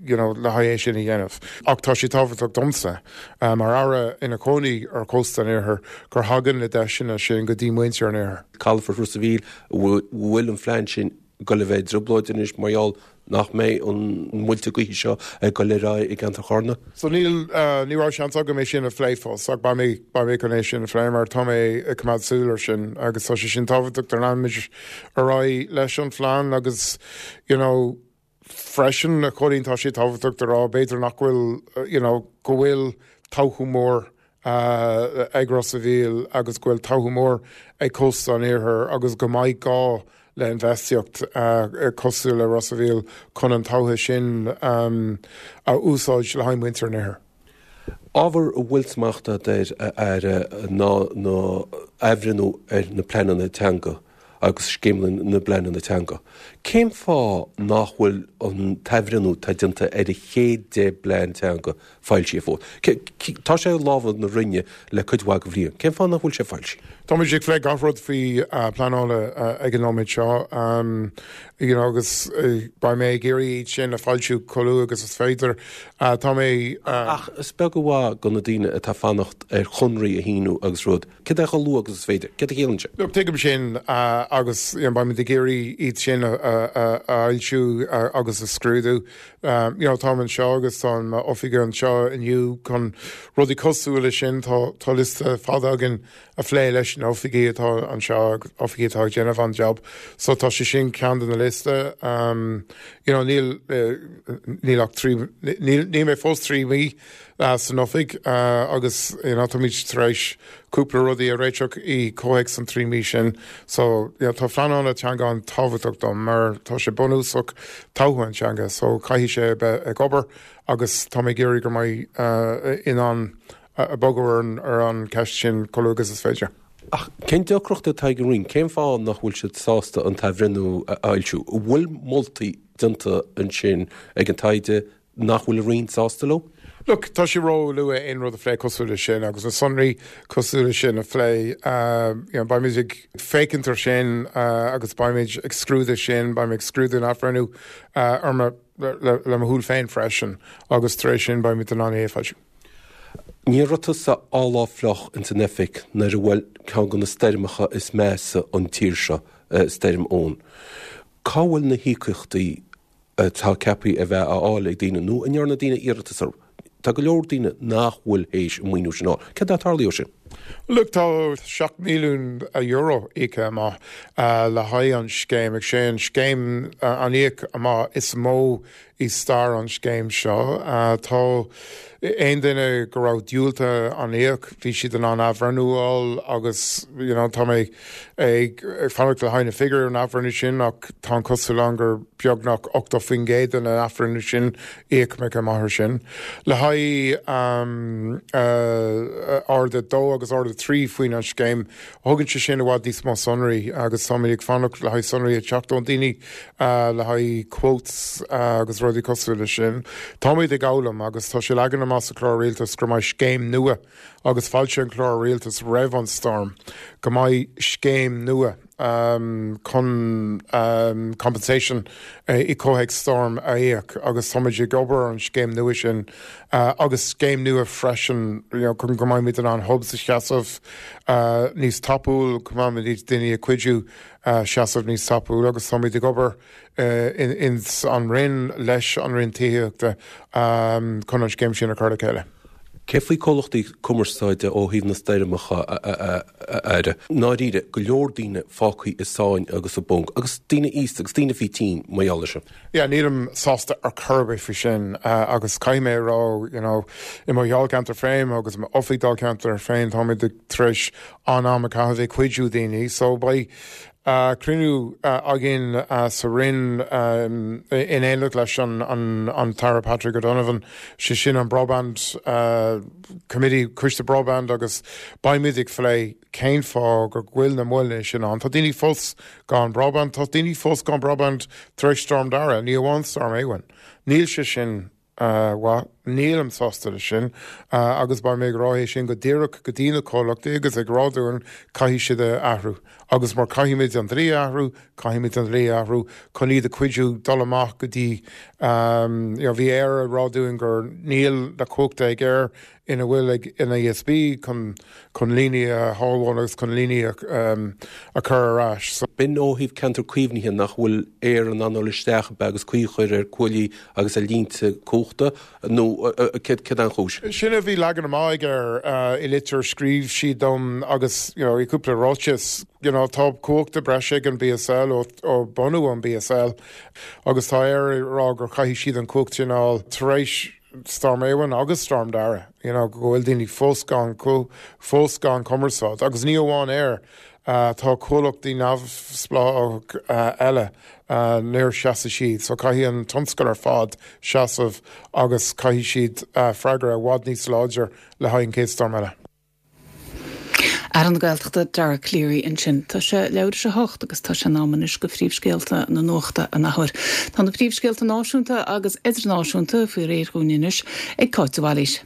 you know le haghaidh é sin a dhéanamh. Ach tá sé tábhachtach domsa mar Aire ina chónaí ar chósta an iarthair gur thagann na deiseanna sin go dtí muintir an iarthair. Calafort Ros a' Mhíl, bhfuil an phlean sin ag dul a bheith i dtrioblóid anois mar gheall nach mbeidh an muilte gaoithe seo ag dul ar aghaidh i gceantar Charna? So níl, ní raibh seans agam é sin a phlé fós ach beidh mé, beidh mé chun é sin a phlé mar tá mé ag coimeád súil ar sin agus tá sé sin tábhachtach do leanfaimid ar aghaidh leis an phlean agus you know, freisin a Chóilín tá sé tábhachtach do rá b'fhéidir nach bhfuil you know, go bhfuil todhchaí mór ag Ros a' Mhíl agus go bhfuil todhchaí mór ag cósta an iarthair agus go mbeidh gá le infheistíocht cosúil le Ros a' Mhíl chun an todhchaí sin a úsáid le haghaidh muintir an iarthair. Ábhar a bhfuil smacht agat air, a Aire, ná na athbhreithniú ar na pleananna teanga agus scéimeanna na bpleananna teanga. Cén fáth nach bhfuil an t-athbhreithniú atá déanta ar an chéad deich bplean teanga foilsithe fós? Tá sé i lámha na Roinne le cuid mhaith de bhliain. Cén fáth nach bhfuil sé foilsithe? Táimid ag plé gach rud faoi pleanála ag an nóiméad seo you know agus beidh mé ag iarraidh iad sin a foilsiú chomh luath agus is féidir. Tá mé. Ach is beag an mhaith do na daoine atá ag fanacht ar chonraí a shíniú agus rud. Céard é chomh luath agus is féidir? Céard a chiallaíonn sé? Look, tuigim sin agus you know beimid ag iarraidh iad sin a fhoilsiú agus a scrúdú. You know táim anseo agus tá m'oifigigh anseo inniu chun rudaí cosúil leis sin. Tá tá liosta fada againn a phlé leis na oifigigh atá anseo, oifigigh atá ag déanamh an job. So tá sé sin ceann de na liosta. You know níl níl ach trí níl níl mé fós trí mhí san oifig agus you know táimid tar éis cúpla rudaí a réiteach i comhthéacs an trí mí sin. So you know tá pleanáil teanga an-tábhachtach dom mar tá sé bunúsach todhchaí an teanga, so caithfidh sé bheith ag obair agus tá mé ag iarraidh go mbeidh in ann bogadh ar an ceist sin chomh luath agus is féidir. Ach cén deacracht atá ag an Roinn? Cén fáth nach bhfuil siad sásta an t-athbhreithniú a fhoilsiú? An bhfuil moltaí déanta ansin ag an taighde nach bhfuil an Roinn sásta leo? Look, tá sé ró-luath aon rud a phlé cosúil leis sin agus na sonraí cosúil leis sin a phlé. You know, beimid ag féachaint ar sin agus beimid ag scrúdú sin, beimid ag scrúdú an athbhreithniú ar mo, le, le mo shúil féin freisin agus tar éis sin beimid in ann é a fhoilsiú. Ní raibh tusa lá fliuch ins an oifig nuair a bhuail ceann de na stoirmeacha is measa an tír seo, Stoirm Éowyn. Cá bhfuil na híocaíochtaí atá ceaptha a bheith á fháil ag daoine nó an ndearna daoine iarratas orthu? Tá go leor daoine nach bhfuil théis an maoiniú sin a fháil. Céard atá tarlaithe ó sin? Look, tá seacht milliún euro íoctha amach le haghaidh an scéim, ag sé an scéim an íoc amach is mó i stair an scéim seo. Tá aon duine go raibh diúltaithe an íoc, bhí siad in ann athbhreithniú a fháil agus you know tá mé ag fanacht le haghaidh na figiúirí an athbhreithniú sin ach tá an cosúil ann gur beagnach ochtó faoin gcéad den athbhreithniú sin íocadh amach ar sin. Le haghaidh um, uh, ard a dó agus ard a trí faoin an scéim, thugann sé sin i bhfad níos mó sonraí agus táimid ag fanacht le haghaidh sonraí ag teacht ón daoine uh, le haghaidh quotes uh, agus rudaí cosúil leis sin. Táimid ag foghlaim agus tá sé leagtha amach sa chlár rialtais go mbeidh scéim nua agus foilsíodh an clár rialtais roimh an storm go mbeidh scéim nua um, chun um, compensation uh, i comhthéacs storm a íoc agus táimid ag obair an scéim nua sin uh, agus scéim nua freisin you know, chun go mbeimid in ann hubs a sheasamh uh, níos tapúil go mbeimid daoine a cuidiú uh, seasamh níos tapúil agus táimid ag obair uh, in, in an Roinn leis an Roinn Tithíochta um, chun an scéim sin a chur le chéile. Cé faoi comhlachtaí cumarsáide ó thaobh na stoirmeacha a Aire? Ndáiríre, go leor daoine fágtha i sáinn agus i bponc, agus daoine aosta agus daoine faoi tinn mar gheall air sin. Yeah, nílim sásta ar chor ar bith faoi sin uh, agus caithfidh mé a rá you know, i mo dháilcheantar féin agus m'oifig dáilcheantar féin táimid tar éis an am a chaitheamh ag cuidiú daoine, so beidh uh, cruinniú uh, againn uh, sa Roinn um, in éineacht leis an, an, an tAire Patrick O'Donovan sé sin an broadband uh, committee coiste broadband agus beimid ag plé cén fáth go bhfuil na moilleanna sin ann. Tá daoine fós gan broadband, tá daoine fós gan broadband tar éis Storm Dara, ní amháin Storm Éowyn. Níl sé sin uh, Nílim sásta le sin agus beidh mé ag rá é sin go díreach go dtí na comhlachtaí agus ag rá dúinn caithfidh siad a athrú. Agus mar caithfimid an dlí a athrú, caithfimid an dlí a athrú chun iad a cuidiú dul amach go dtí you know bhí Eir ag rá dúinn gur níl na cumhachta ag Eir ina bhfuil ag an E S B chun chun líní a shábháil agus chun líní a, um, a chur ar ais. So, B'in ó thaobh ceantar caomhnaithe nach bhfuil Eir in ann dul isteach be agus caoi a chur ar cuaillí agus ar línte cumhachta nó céard an chúis. Sin a bhí leagan amach ag Eir uh, i litir scríobh siad dom agus you know, i cúpla ráiteas you know, tá cumhachta breise ag an B S L ó, ó bunú an B S L agus tá Eir ag rá gur chaithfidh siad an cumhacht sin a fháil tar éis Storm Éowyn agus Storm Dara you know, go bhfuil daoine fós gan fós gan cumarsáid agus ní amháin Eir uh, tá comhlachtaí neamhspleách uh, eile uh, níor sheasaigh siad, so caithfidh an tionscal ar fad seasamh agus caithfidh siad uh, freagra i bhfad níos láidir le haghaidh an chéad storm eile. Aire na Gaeltachta Dara Calleary ansin. Tá sé leathuair tar éis a hocht agus tá sé in am anois go phríomhscéalta na nuachta an athuair. Tá na príomhscéalta náisiúnta agus idirnáisiúnta faoi réir dúinn anois ag Cáit Bhailís.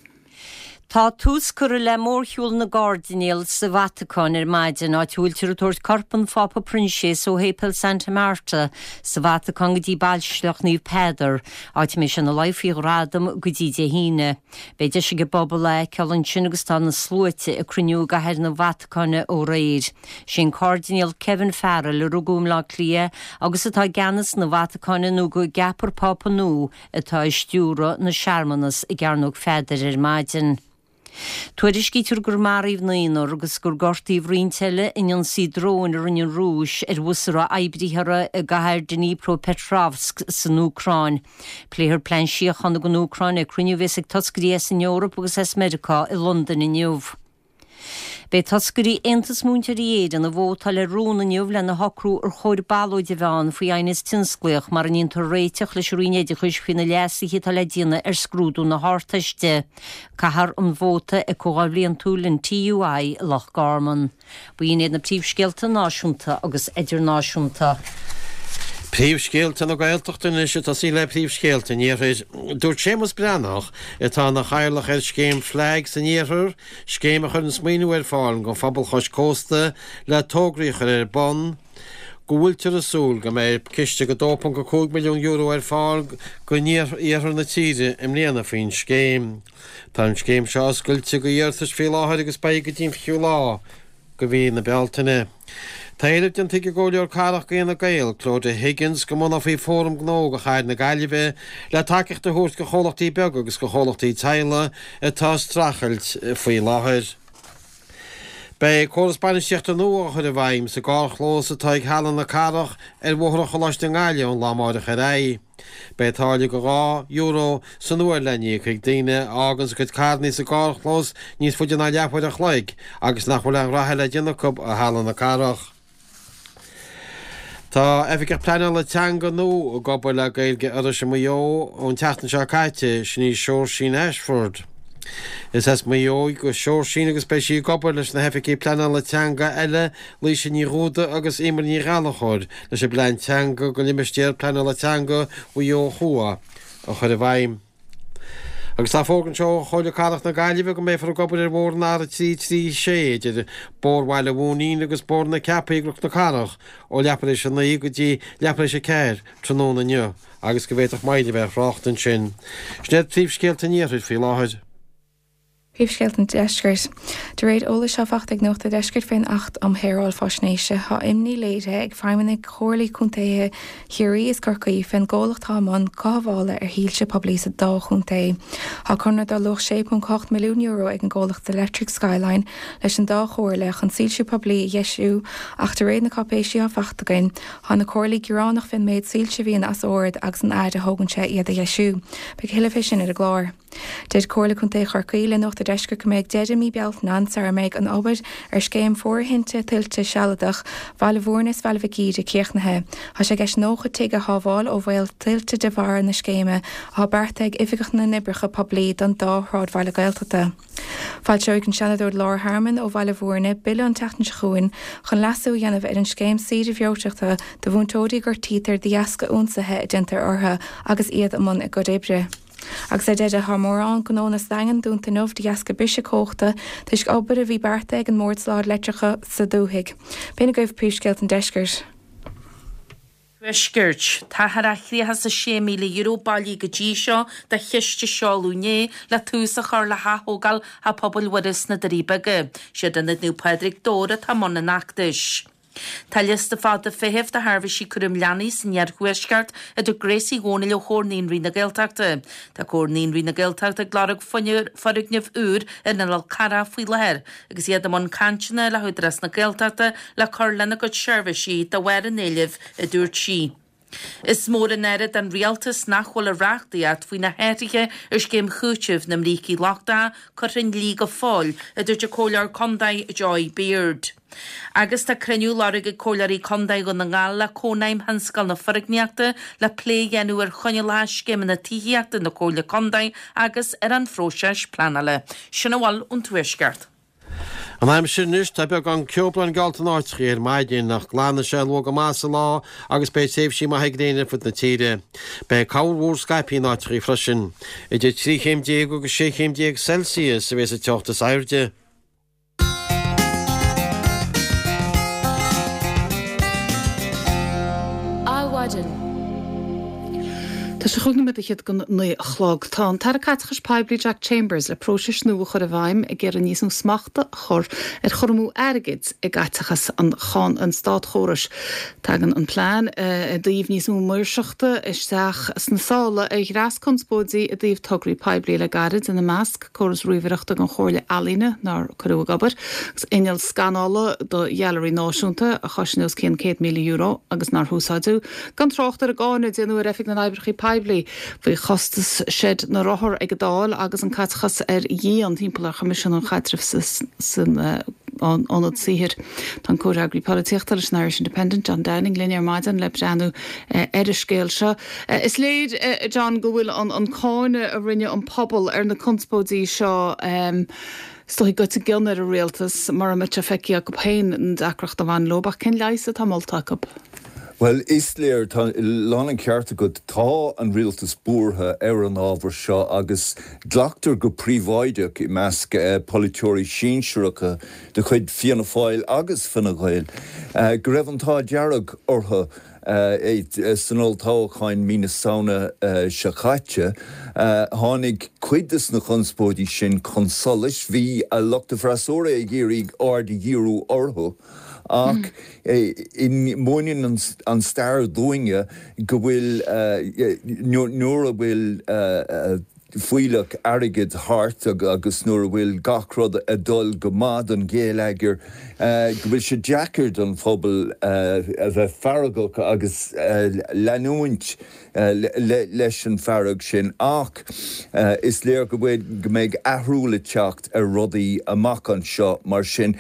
Tá tús curtha le mórshiúl na gCairdinéal sa Vatacáin ar maidin áit a bhfuiltear ag tabhairt corp an Phápa Proinsias ó Shéipéal Santa Marta sa Vatacáin go dtí Baisleac Naomh Peadar, áit a mbeidh sé ina luí faoi ghradam go dtí Dé hAoine. Beidh deis ag an bpobal é a fheiceáil ansin agus tá na sluaite ag cruinniú i gcathair na Vatacáine ó aréir. Sé an Cairdinéal Kevin Farrell a rugadh i mBleá Cliath agus atá i gceannas na Vatacáine nó go gceapfar Pápa nua atá ag stiúradh na searmanas i gCearnóg Pheadair ar maidin. Tuairiscítear gur maraíodh naonúr agus gur gortaíodh roinnt eile in ionsaí dróin a rinne an Rúis ar bhus a raibh oibrithe i gcathair Dnipropetrovsk san Úcráin. Pléifear plean síochána don Úcráin ag cruinniú a bheas ag toscairí as an Eoraip agus as Meiriceá i Londain inniu. Beidh toscairí Aontas Múinteoirí Éireann ag vótáil ar rún inniu lena shocrú ar chóir ballóid a bheith ann faoi aighneas tionsclaíoch mar a ndéantar réiteach leis an Roinn Oideachais faoi na leasuithe atá le déanamh ar scrúdú na hArdteiste. Caithfear an vóta ag comhdháil bhliantúil an T U I Loch Garman. B'in iad na príomhscéalta náisiúnta agus idirnáisiúnta. Príomhscéalta na Gaeltachta anois ag tosaí le príomhscéalta an Iarthair. Dúirt Séamus Breathnach atá ina chathaoirleach ar scéim FLAG san Iarthar, scéim a chuireann maoiniú ar fáil don phobal chois cósta le tograí a chur ar bun, go bhfuiltear ag súil go mbeidh ciste go dó ponc a cúig milliún euro ar fáil go iarthar na tíre i mbliana faoin scéim. Tá an scéim seo oscailte go iarratais faoi láthair agus beidh go dtí an fichiú lá de mhí na Bealtaine. Tá éileamh déanta ag an gComhairleoir Cathrach d'Fhine Gael, Clodagh Higgins go mbunófaí fóram gnó do chathair na Gaillimhe le tacaíocht a thabhairt do chomhlachtaí beaga agus do chomhlachtaí teaghlaigh atá ag streachailt faoi láthair. Beidh córas bainistíochta nua á chur i bhfeidhm sa gcarrchlós atá ag Halla na Cathrach ar Bhóthar an Choláiste i nGaillimh ón lá amárach ar aghaidh. Beidh táille go dhá euro san uair le n-íoc ag daoine a fhágann a gcuid carranna sa gcarrchlós níos faide ná leathuair an chloig agus nach bhfuil aon ghraithe le déanamh acu i Halla na Cathrach. Tá oifigeach pleanála teanga nua ag obair le Gaeilge Iorrais i Maigh Eo ón tseachtain seo caite sin í Seoirsín Ashford. Is as Maigh Eo do Sheoirsín agus beidh sí ag obair leis na hoifigigh pleanála teanga eile Laoise Ní Dhúda agus Emer Ní Ghallchóir leis an bplean teanga do limistéar pleanála teanga Mhaigh Eo Thuaidh a chur i bhfeidhm. Agus tá fógra anseo ó Chomhairle Cathrach na Gaillimhe go mbeifear ag obair ar bhóthar an R trí trí sé idir Bóthar Bhaile Mhúinín agus Bóthar na Ceapaí i gCnoc na Cathrach ó leathuair tar éis a naoi go dtí leathuair tar éis a ceathair tráthnóna inniu agus go bhféadfadh moill a bheith ar thrácht ansin. Sin iad príomhscéalta an iarthair faoi láthair. Príomhscéalta an Deiscirt. De réir eolais atá faighte ag Nuacht an Deiscirt fén Acht um Shaoráil Faisnéise tá imní léirithe ag feidhmeannaigh Chomhairle Contaetha Chiarraí is Corcaí fén gcomhlacht atá i mbun cothabhála ar shoilse poiblí sa dá chontae. Tá conradh dar luach sé ponc ocht milliún euro ag an gcomhlacht Electric Skyline leis an dá chomhairle chun soilsiú poiblí a dheisiú ach de réir na cáipéisí atá faighte againn, tá na comhairlí gearánach fén méid soilse a bhíonn as ord agus an fhad a thógann sé iad a dheisiú. Beidh tuilleadh fé sin ar an gclár. Deir Comhairle Contae Chorcaí le Nuacht an Deiscirt go mbeidh deireadh mí Bealtaine ann sara mbeidh an obair ar scéim fóirithinte tuilte sealadach Bhaile Mhúirne is Bhaile Mhic Íde críochnaithe. Tá sé i gceist nócha tigh a shábháil ó bhaol tuilte de bharr na scéime atá beartaithe ag Oifigeach na nOibreacha Poiblí don dá shráidbhaile Gaeltachta. Foilseoidh an Seanadóir Laura Harmon ó Bhaile Mhúirne bille an tseachtain seo chugainn chun leasú a dhéanamh ar an scéim saoire bhreoiteachta do mhúinteoirí a gortaítear de dheasca ionsaithe a déantar orthu agus iad i mbun a gcuid oibre. Agus ar deireadh tá mórán gnónna sa Daingean dúnta inniu de dheasca briseadh cumhachta toisc obair a bhí beartaithe ag an mBord Soláthair Leictreachais sa dúthaigh. B'in agaibh príomhscéalta an deiscirt. Tuaiscirt. Táthar á thríocha is a sé míle euro bailithe go dtí seo do chiste Seoladh Inné le tús a chur le hathógáil Theach Pobail Mhuire sna Doirí Beaga. Siad Ionad Naomh Pádraig, Dobhar atá i mbun an fheachtais. Tá liosta fada feithimh do sheirbhísí cúraim leanaí san iarthuaisceart, a dúirt Grace Uí Dhomhnaill ó Chomhar Naíonraí na Gaeltachta. Tá Comhar Naíonraí na Gaeltachta ag lorg foirgneamh úr ar an Fhál Carrach faoi láthair agus iad i mbun cainteanna le hÚdarás na Gaeltachta le cur lena gcuid seirbhísí de bharr an éilimh, a dúirt sí. Is mór an náire don rialtas nach bhfuil an reachtaíocht faoi na hathruithe ar scéim chúitimh na mbrící lochtacha curtha i ndlí go fóill, a dúirt an Comhairleoir Contae Joy Beard. Agus tá cruinniú á lorg ag Comhairleoirí Contae Dhún na nGall le Cónaidhm Thionscal na Foirgníochta le plé a dhéanamh ar choinníollacha scéimeanna tithíochta na Comhairle Contae agus ar an phróiseas pleanála. Sin a bhfuil ón Tuaisceart. An aimsir anois, tá beagán ceobhrán geallta in áiteachaí ar maidin, ach glanfaidh sé luath go maith sa lá agus beidh tréimhsí maithe gréine ar fud na tíre. Beidh corrmhúr scaipthe in áiteachaí freisin. Idir trí chéim déag agus sé chéim déag Celsius a bheas an teocht is airde. Adhmhaidin. Tá sé chúig nóiméad fhichead go naoi a chlog. Tá an tAire Caiteachais Poiblí Jack Chambers le próisis nua a chur i bhfeidhm ag iarraidh níos mó smachta a chur ar chur amú airgid i gcaiteachas an an státchórais. Tagann an plean i dtaobh níos mó maoirseachta isteach sna sála ar dhreas conspóidí i dtaobh tograí poiblí le gairid, ina measc, córas ríomhaireachta don Chomhairle Ealaíne nár cuireadh ag obair, agus inneall scanála do Ghailearaí Náisiúnta a chosain os cionn céad míle euro agus nár húsáideadh, gan trácht ar an gcáineadh a déanadh ar Oifig na nOibreacha Poiblí faoi chostas seid na rothar ag an Dáil agus an caiteachas ar dhíon timpeall ar Choimisiún um Chaidreamh san Ionad Saothair. Tá an comhfhreagraí polaitíochta leis an Irish Independent, John Downing, linn ar maidin le breathnú ar an scéal seo. Is léir, John, go bhfuil an cáineadh a rinne an pobal ar na conspóidí seo is dóigh goite i gcion ar an rialtas mura mbeidh sé feicthe acu féin an deacracht a bhain leo. Ach cén leigheas atá molta acu? Bhuel, is léir, tá lán an ceart agat, tá an rialtas buartha ar an ábhar seo agus glactar go príobháideach i measc polaiteoirí sinsearacha de chuid Fianna Fáil agus Fine Gael go raibh an t-ádh dearg orthu san olltoghchán mí na Samhna seo caite. Tháinig cuid de na conspóidí sin chun solais, bhí lucht an fhreasúra ag iarraidh aird a dhíriú orthu. Ach múineann an stair dúinne go bhfuil, nuair a bhfuil fuílleach airgid thart agus nuair a bhfuil gach rud ag dul go maith don gheilleagar, go bhfuil sé deacair don phobal a bheith feargach agus leanúint leis an bhfearg sin ach is léir go bhfuil, go mbeidh athrú le teacht ar rudaí amach anseo mar sin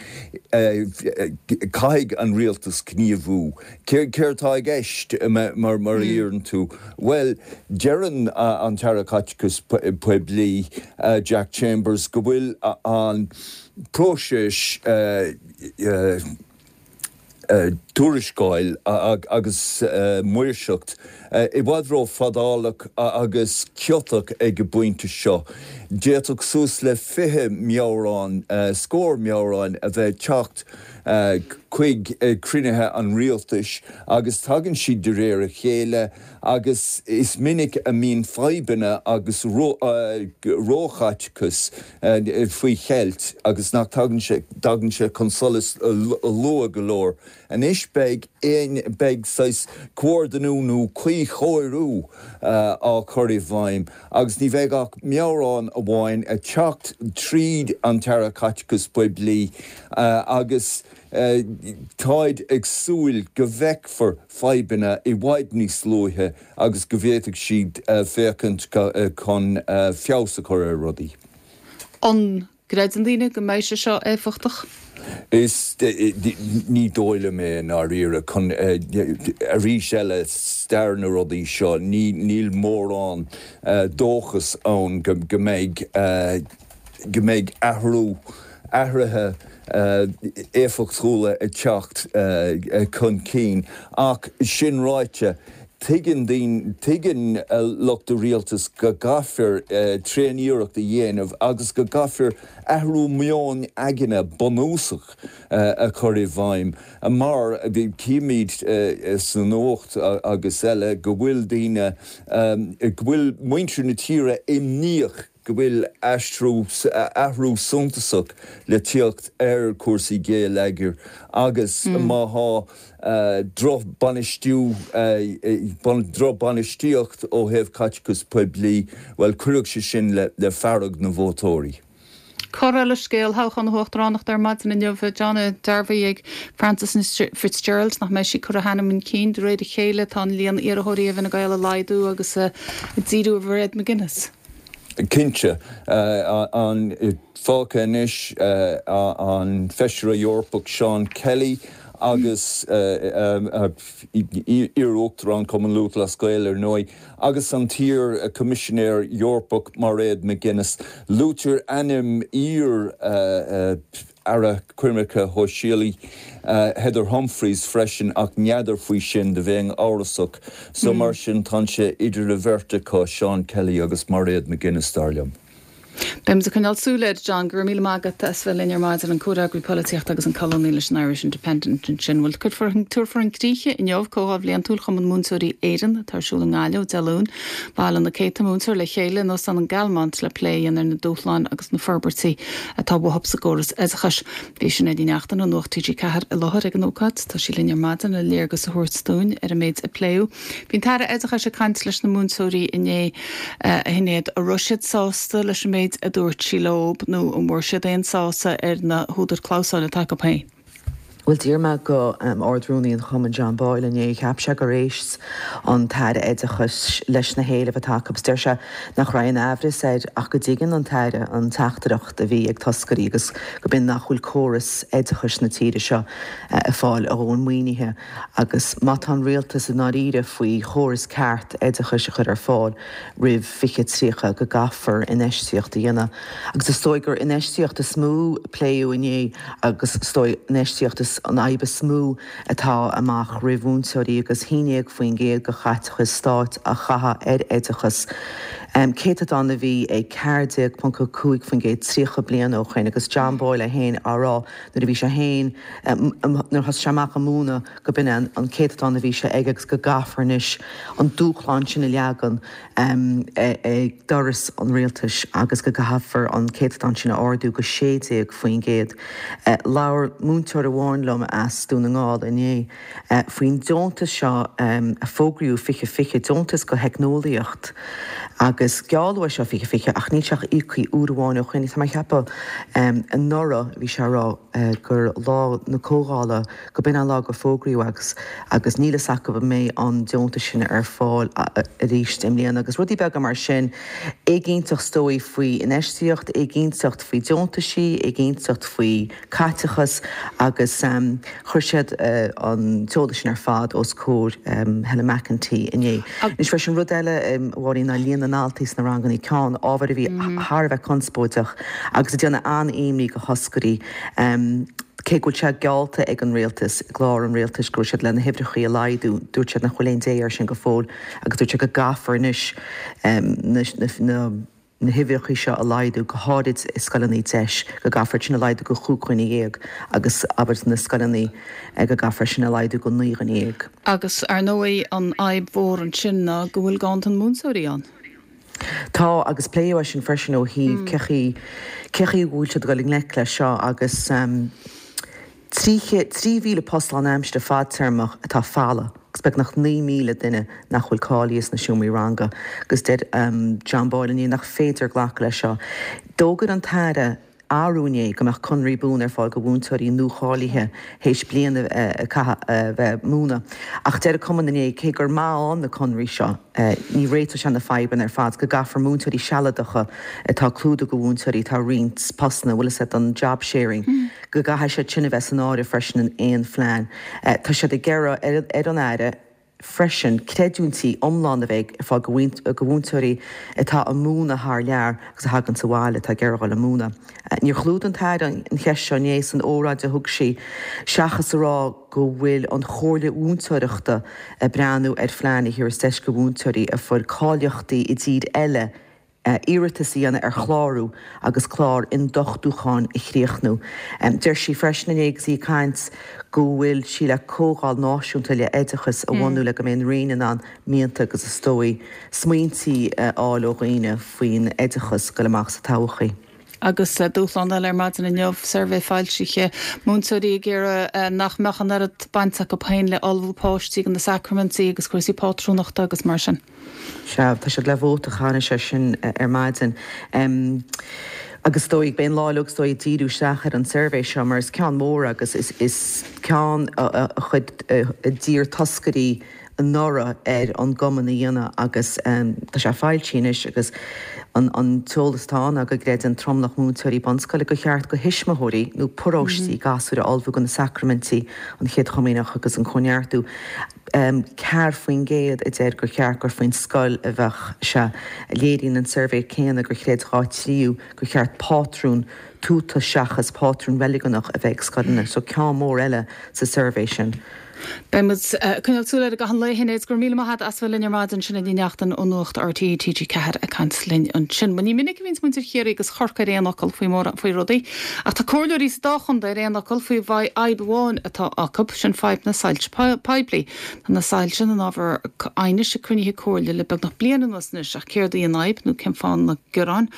caithfidh an rialtas gníomhú. Céard atá i gceist mar a iarrann tú? Bhuel, deireann an tAire Caiteachais Poiblí Jack Chambers go bhfuil an próiseas tuarascáil agus maoirseacht i bhfad ró-fhadálach agus ciotach ag an bpointe seo. D'fhéadfadh suas le fiche meabhrán, scór meabhrán a bheith ag teacht chuig cruinnithe an rialtais agus tagann siad de réir a chéile agus is minic a mbíonn fadhbanna agus róchaiteachas faoi cheilt agus nach dtagann sé dtagann sé chun solais luath go leor. Anois beidh beidh saghas comhordú nó cuíchóiriú á chur i bhfeidhm agus ní bheidh ach meabhrán amháin ag teacht tríd an tAire Caiteachais Poiblí agus táid ag súil go bhfeicfear fadhbanna i bhfad níos luaithe agus go bhféadfaidh siad féachaint chun feabhas a chur ar rudaí. An gcreideann daoine go mbeidh sé seo éifeachtach? Is ní dóigh liom é i ndáiríre. Chun, arís eile, stair na rudaí seo, ní níl mórán dóchas ann go mbeidh go mbeidh athrú, athruithe éifeachtúla ag teacht chun cinn. Ach sin ráite, Tuigeann daoine, tuigeann lucht an rialtais go gcaithfear tréaniarracht a dhéanamh agus go gcaithfear athrú meoin aigne bunúsach a chur i bhfeidhm mar címid sa nuacht agus eile go bhfuil daoine, go bhfuil muintir na tíre imníoch go bhfuil aistriú, athrú suntasach le tíocht ar chúrsaí geilleagair agus má thá drochbhainistiú, drochbhainistíocht ó thaobh caiteachas poiblí, bhuel, cuirfidh sé sin le fearg na vótóirí. Cor eile scéil, toghchán na huachtaránachta ar maidin inniu, John, dearbhaithe ag Frances Fitzgerald nach mbeidh sí ag cur a hainm chun cinn. De réir a chéile tá an líon iarrthóirí i bhFine Gael ag laghdú agus ag díriú ar Mhairéad McGuinness. Cinnte, an fágtha anois an Feisire Eorpach Seán Kelly agus iar-Uachtarán Chumann Lúthchleas Gael ar ndóigh, agus an t-iar-Choimisinéir Eorpach Mairéad McGuinness. Luaitear ainm iar Aire Coimirce Shóisialaí Heather Humphreys freisin ach n'fheadar faoi sin, do bheinn amhrasach. So mar sin tá sé idir an bheirt acu, Seán Kelly agus Mairéad McGuinness, dar liom. Beimid ag coinneáil súil air, John. Go raibh míle maith agat as bheith linn ar maidin, an comhfhreagraí polaitíochta agus an colúnaí leis an Irish Independent ansin. Bhuel, cuirfear tabharfar chun críche inniu Comhdháil Bhliantúil Chumann Múinteoirí Éireann atá ar siúl i nGaillimh ó Dé Luain. Baileoidh na céadta múinteoir le chéile in Óstán an Galmont le plé a dhéanamh ar na dúshláin agus na forbairtí atá uathu sa gcóras oideachais. Bhí Sinéad Ní Neachtain ó Nuacht T G ceathair i láthair ag an ócáid. Tá sí linn ar maidin le léargas a thabhairt dúinn ar an méid a pléadh. Bhí an tAire Oideachais ag caint leis na múinteoirí inné, a Shinéad. An raibh siad sásta leis an méid a dúirt sí leo nó an bhfuair siad aon sásamh ar na húdair clamhsáin atá acu féin? Bhuel, d'iarr mé go Ard-Rúnaí an Chumainn, John Boyle, inné, cheap sé gur éist an tAire Oideachais leis na héilimh atá acu agus deir sé nach raibh aon aimhreas air ach go dtuigeann an tAire an teachtaireacht a bhí ag toscairí agus go b'in nach bhfuil córas oideachais na tíre seo ag fáil a dhóthain maoinithe agus má tá an rialtas i ndáiríre faoi chóras ceart oideachais a chur ar fáil roimh fiche tríocha go gcaithfear infheistíocht a dhéanamh. Agus is dóigh gur infheistíocht is mó a pléadh inné agus is dóigh infheistíocht is an fhadhb is mó atá amach roimh mhúinteoirí agus haon déag faoin gcéad de chaiteachas stáit á chaitheamh ar oideachas, céatadán a bhí ag ceathair déag ponc a cúig faoin gcéad tríocha bliain ó shoin agus John Boyle é féin á rá nuair a bhí sé féin, nuair a thosaigh sé amach ag múineadh go b'in é an céatadán a bhí sé aige agus go gcaithfear anois an dúshlán sin a leagan ag doras an rialtais agus go gcaithfear an céatadán sin a ardú go sé déag faoin gcéad. Labhair múinteoir amháin liom as Dún na nGall inné faoin deontas seo a fógraíodh fiche fiche, deontas go theicneolaíocht agus gealladh é seo fiche fiche ach níl sé ach íoctha uair amháin ó shoin. Tá mé ag ceapadh anuraidh bhí sé á rá gur lá na comhdhála go b'in an lá gur fógraíodh agus agus níl fhios acu an mbeidh an deontas sin ar fáil arís i mbliana agus rudaí beaga mar sin. Éiginnteacht is dóigh faoi infheistíocht, éiginnteacht faoi deontaisí, éiginnteacht faoi caiteachas agus chuir siad an t-eolas sin ar fad os comhair Helen McEntee inné. Anois freisin rud eile a Mháirín ná líon na ndaltaí sna ranganna, ceann ábhar a bhí thar a bheith conspóideach agus ag déanamh an-imní go thoscairí. Cé go bhfuil sé geallta ag an rialtas, i gclár an rialtais, go raibh siad le na huimhreachaí a laghdú, dúirt siad nach bhfuil aon dé air sin go fóill agus dúirt siad go gcaithfear anois na na huimhreachaí seo a laghdú, go háirid i scoileanna deis, go gcaithfear sin a laghdú go chúig dhuine dhéag agus abair na scoileanna go gcaithfear sin a laghdú go naoi dhuine dhéag. Agus ar ndóigh an fhadhb mhór ansin ná go bhfuil ganntan múinteoirí ann. Tá, agus pléadh é sin freisin ó thaobh cé chaoi, cé chaoi a bhfuil siad ag dul i ngleic leis seo agus trí chéad, trí mhíle post lánaimseartha fadtéarmach atá folamh agus beagnach naoi míle duine nach bhfuil cáilithe sna seomraí ranga agus deir John Boyle inné nach féidir glacadh leis seo. D'fhógair an tAire arú inné go mbeadh conraí buan ar fáil go mhúinteoirí nuacháilithe théis bliain a caitheamh a bheith ag múineadh. Ach deir an cumann inné cé gur maith ann na conraí seo, ní réiteoidh sé na fadhbanna ar fad, go gcaithfear múinteoirí sealadacha atá ag clúdú go mhúinteoirí atá roinnt postanna, bhfuil fhios agat, don job sharing, go gcaithfidh siad sin a bheith san áireamh freisin in aon phlean. Tá siad ag iarraidh ar an Aire, freisin creidiúintí iomlán a bheith ar fáil go mhúinteoirí atá ag múineadh thar lear agus a thagann sa bhaile atá ag iarraidh dul ag múineadh. Níor chlúdaigh an tAire an cheist seo inné san óráid a thug sí, seachas a rá go bhfuil an Chomhairle Mhúinteoireachta ag breathnú ar phlean a thabharfas deis go mhúinteoirí a fuair cáilíochtaí i dtír eile iarratas a dhéanamh ar chlárú agus clár ionduchtúcháin a chríochnú. Deir sí freisin inné agus í ag caint go bhfuil sí le comhdháil náisiúnta le oideachas a bhunú le go mbeidh an Roinn in ann mianta agus is dóigh smaointí a fháil ó dhaoine faoin oideachas ag goil amach sa todhchaí. Agus dúshlán eile ar maidin inniu, suirbhé foilsithe, múinteoirí ag iarraidh nach mbeadh an oiread baint acu féin le ullmhú páistí do na sacraimintí agus cúrsaí pátrúnachta agus mar sin. Sea, tá siad le vóta a chaitheamh air sin ar maidin. Agus is dóigh, beidh an lá uilig is dóigh ag díriú isteach ar an suirbhé seo mar is ceann mór agus is ceann a chuir a d'iarr toscairí anuraidh ar an gcumann a dhéanamh agus tá sé foilsithe anois agus an t-eolas atá ann ná go gcreideann tromlach múinteoirí bunscoile gur cheart go thuismitheoirí nó paróistí gasúir a ullmhú do na sacraimintí, an Chéad Chomaoineach agus an Cóineartú. Ceathair faoin gcéad a deir gur cheart gur faoin scoil a bheadh sé. Léiríonn an suirbhé céanna gur chreid dhá thríú gur cheart pátrún tuata seachas pátrún reiligiúnach a bheith ag scoileanna. So ceann mór eile sa suirbhé sin. Beidh muid ag coinneáil súil air i gcaitheamh an lae, a Shinéad. Go raibh míle maith agat as bheith linn ar maidin. Sinéad Ní Neachtain ó Nuacht RTÉ T G ceathair ag caint linn ansin. Bhuel ní minic a bhíonns muintir Chiarraí agus Chorcaí ar aon fhocal faoi mórán faoi rudaí, ach tá comhairleoirí sa dá chontae ar aon fhocal faoi fhadhb amháin atá acu, sin fadhb na soilse poiblí. Tá na soilse ina n-ábhar aighnis ag cruinnithe comhairle le beagnach bliain anuas anois, ach céard í an fhadhb nó cén fáth na gearáin?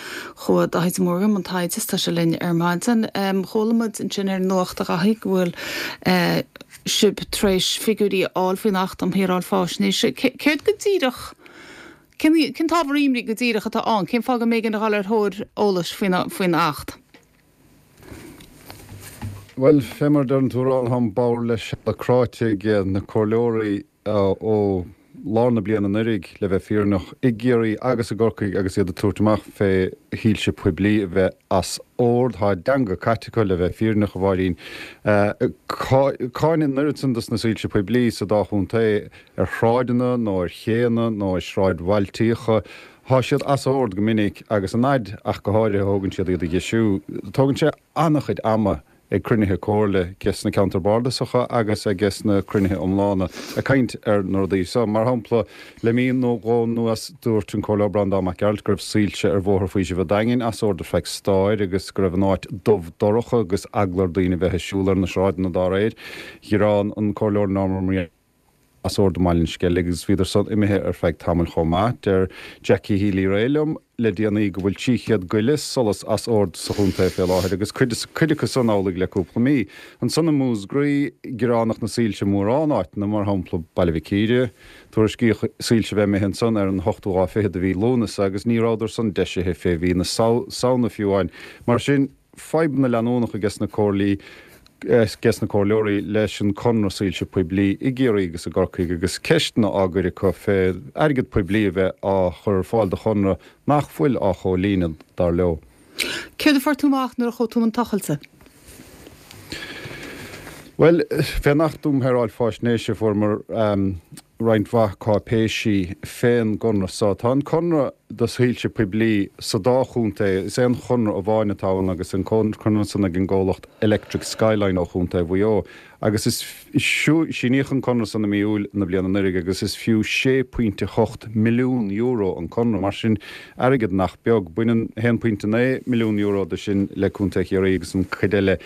Chuaigh Dáithí de Mórdha i mbun taighde is tá sé linn ar maidin. Chuala muid ansin ar an nuacht a Dhaithí go bhfuil sibh tar éis figiúirí a fháil faoin Acht um Shaoráil Faisnéise. Céard go díreach, cén cén t-ábhar imní go díreach atá ann? Cén fáth go mb'éigean a dhul ar thóir eolais faoin faoin Acht? Bhuel, fé mar a deireann tú a rá, táim bodhar le seala cráite ag na comhairleoirí ó lár na bliana anuraidh, le bheith fírinneach, i gCiarraí agus i gCorcaigh agus iad ag tabhairt amach fé shoilse poiblí a bheith as ord. Tá a dteanga caite acu, le bheith fírinneach, a Mháirín. Cáineadh an oiread san dos na soilse poiblí sa dá chontae ar shráideanna nó ar chéanna nó i sráidbhailtíocha. Tá siad as ord go minic agus an fhaid ach go háirithe a thógann siad iad a dheisiú. Tógann sé an-chuid ama. ag cruinnithe comhairle ages na ceantair bardasacha agus ages na cruinnithe iomlána ag caint ar na rudaí seo. Mar shampla, le mí nó dhó anuas dúirt an Comhairleoir Breandán Mac Gearailt go raibh soilse ar Bhóthar Faoisimh an Daingin as ord ar feadh stáir agus go raibh an áit dubh dorcha agus eagla ar daoine bheith ag siúl ar na sráideanna dá réir. Ghearán an Comhairleoir Norma Maria as ord i mBaile an Sceilg agus bhíodar san imithe ar feadh tamaill chomh maith. Deir Jackie Healy-Rae liom le déanaí go bhfuil trí chéad go leith solas as ord sa chontae fé láthair agus cuid cuid acu san amhlaidh le cúpla mí. Ansan i Múscraí, gearánach na soilse mórán áiteanna, mar shampla Baile Mhic Íre, tuairiscíodh soilse bheith imithe ansan ar an ochtú lá fichead de mhí Lúnasa agus ní rabhadar san deisithe fé mhí na Samhna fiú amháin. Mar sin, fadhbanna leanúnacha ages na comhairlí ages na comhairleoirí leis an conradh soilse poiblí i gCiarraí agus i gCorcaigh agus ceisteanna á gcur acu fé airgead poiblí a bheith á chur ar fáil do chonradh nach bhfuil á chomhlíonadh, dar leo. Céard a fuair tú amach nuair a chuaigh tú i mbun tochailte? Bhuel, fén Acht um Shaoráil Faisnéise fuaireamar roinnt mhaith cáipéisí fén gconradh so. Tá an conradh do shoilse poiblí sa dá chontae, is aon chonradh amháin atá ann agus an conradh san ag an gcomhlacht Electric Skyline ó Chontae Mhaigh Eo agus is síníodh an conradh san i mí Iúil na bliana anuraidh agus is fiú sé pointe hocht milliún euro an conradh, mar sin airgead nach beag. Baineann haon pointe naoi milliún euro de sin le Contae Chiarraí agus an chuid eile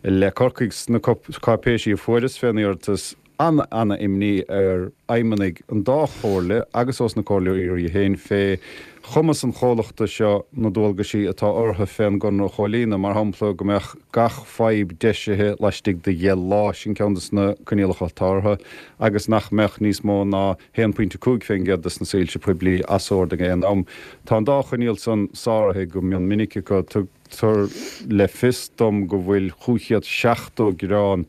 le Corcaigh. Sna cáipéisí a fuaireas fén iarratas, an-an-imní ar fheidhmeannaigh an dá chomhairle agus ós na comhairleoirí féin fé chumas an chomhlachta seo na dualgaisí atá orthu fén gconradh a chomhlíonadh, mar shampla go mbeadh gach fadhb deisithe laistigh de dheich lá, sin ceann des na coinníollacha atá orthu, agus nach mbeadh níos mó ná haon pointe cúig fén gcéad des na soilse poiblí as ord ag aon am. Tá an dá choinníoll san sáraithe go mion minic acu. Tugtar le fios dom go bhfuil chúig chéad seachtó gearán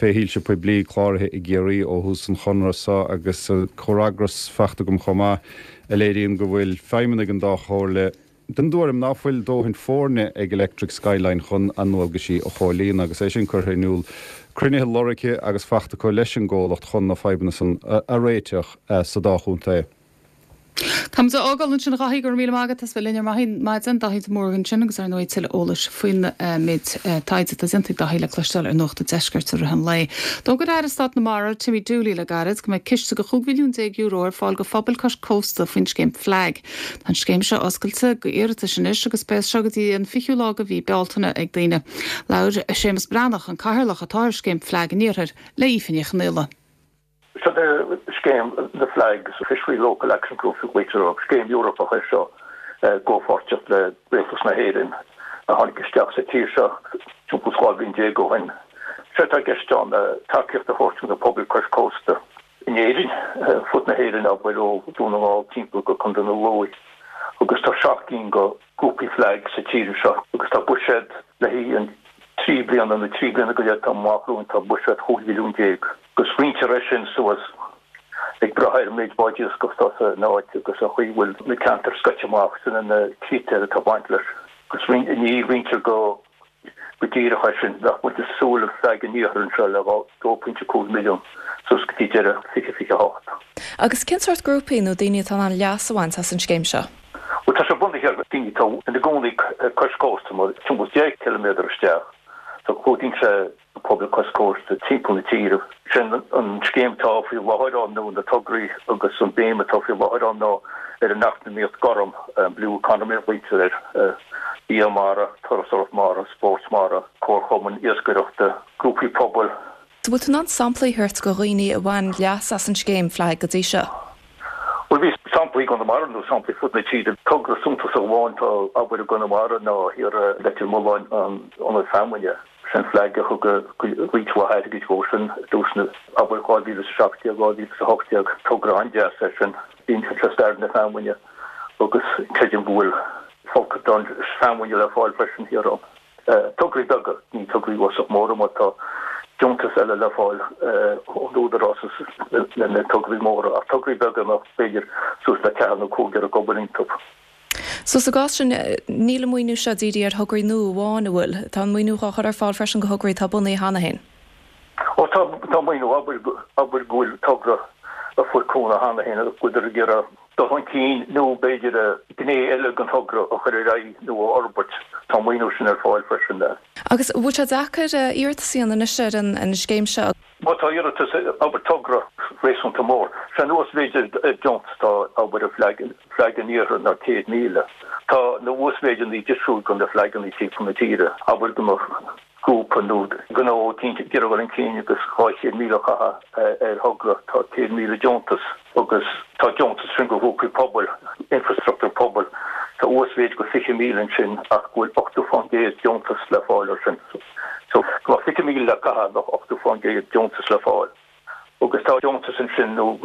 fé shoilse poiblí cláraithe i gCiarraí ó thús an chonradh seo agus comhfhreagras fachta agam chomh maith a léiríonn go bhfuil feidhmeannaigh an dá chomhairle den dtuairim ná fuil dóthain foirne ag Electric Skyline chun a ndualgaisí a chomhlíonadh agus é sin curtha in iúl cruinnithe lorgtha agus faighte acu leis an gcomhlacht chun na fadhbanna san a réiteach sa dá chontae. Táimid á fhágáil ansin a Dhaithí, go raibh míle maith agat as bheith linn ar maidin, Daithí de Mórdha ansin agus ar ndóigh tuilleadh eolais faoin méid taighde atá déanta ag Daithí le cloisteáil ar Nuacht an Deiscirt i rith an lae. D'fhógair Aire Stáit na Mara, Timmy Dooley le gairid go mbeidh ciste de chúig mhilliún déag euro ar fáil go phobail cois cósta faoin scéim FLAG. Tá an scéim seo oscailte go iarratais anois agus beidh seo go dtí an fichiú lá de mhí Bealtaine ag daoine. Labhair Séamus Breathnach, an cathaoirleach atá ar scéim FLAG an Iarthair, le Aoife Ní Chonghaile. Seo é scéim na FLAGs, Fishery Local Action Groups a ghlaoitear orthu, scéim Eorpach é seo i gcomhpháirtíocht le Rialtas na hÉireann a tháinig isteach sa tír seo timpeall dhá bhliain déag ó shin. Sé atá i gceist ann tacaíocht a thabhairt do na pobail cois cósta in Éirinn, fud na hÉireann, abair ó Dhún na nGall timpeall go Contae na Lú. Agus tá seacht gcinn de ghrúpaí FLAG sa tír seo agus tá buiséad le haghaidh an trí bliana nó trí bliana go leith atá amach romhainn, tá buiséad chúig mhilliún déag. Agus roinntear é sin suas ag brath ar an méid báid iascaigh atá san áit agus an chaoi a bhfuil na ceantair scoite amach, sin na critéir atá ag baint leis. Agus ní roinntear go go díreach é sin. Bheadh muid ag súil le FLAG an Iarthair anseo le dó pointe cúig milliún suas go dtí deireadh fiche fiche a hocht. Agus cén sórt grúpaí nó daoine atá in ann leas a bhaint as an scéim seo? Bhuel, tá sé bunaithe ar daoine atá ina gcónaí cois cósta, mar timpeall deich ciliméadar isteach. So clúdaíonn sé na pobail cois cósta timpeall na tíre. Sin an scéim atá faoi láthair ann nó na tograí agus an béim atá faoi láthair ann ná ar an eacnamaíocht gorm, blue economy a ghlaoitear air, bia mara, turasóireacht mara, spórt mara, comharchumainn iascaireachta, grúpaí pobail. An bhfuil tú in ann samplaí a thabhairt de dhaoine a bhain leas as an scéim FLAG go dtí seo? Bhuel, bhí samplaí i gConamara nó samplaí fud na tíre. Togra suntasach amháin atá abair i gConamara ná thiar i Leitir Mealláin, an Ionad Feamainne. Sin FLAG a thug roinnt mhaith airgid dhó sin i dtús na, abair, dhá mhíle is a seacht déag, dhá mhíle is a hocht déag. Togra an-deas é sin. Insíonn sé stair na feamainne agus creidim go bhfuil folcadán feamainne le fáil freisin thiar ann. Tograí beaga, ní tograí uafásach móra mar tá deontais eile le fáil ón Údarás le na tograí móra, ach tograí beaga nach b'fhéidir suas le ceathrar nó cúigear ag obair iontu. So sa gcás sin, níl an maoiniú seo dírithe ar thograí nua amháin, an bhfuil? Tá an maoiniú á chur ar fáil freisin do thograí atá bunaithe cheana féin? Ó tá, tá maoiniú, abair, abair go bhfuil togra a fuair cúnamh cheana féin agus go bhfuiltear ag iarraidh dul chun cinn nó b'fhéidir gné eile den togra a chur ar aghaidh nó a fhorbairt. Tá an maoiniú sin ar fáil freisin. Agus an bhfuil sé deacair iarratas a dhéanamh anois ar an scéim seo? Má tá iarratas, abair togra réasúnta mór, sé an uasmhéid deontas atá abair i FLAG, FLAG an Iarthair ná céad míle. Tá na uasmhéideanna difriúil do na FLAGanna timpeall na tíre. Abair go mbeadh. grúpa nó gnó eicínt ag iarraidh dul chun cinn agus dhá chéad míle a chaitheamh ar thogra, tá céad míle deontas agus tá deontas sin do ghrúpaí pobail, infrastruchtúr pobail, tá uasmhéid go fiche míle ansin ach go bhfuil ochtó fán gcéad deontas le fáil ar sin. So go mbeadh fiche míle le caitheamh bheadh ochtó fán gcéad deontas le fáil. Agus tá deontas ansin nó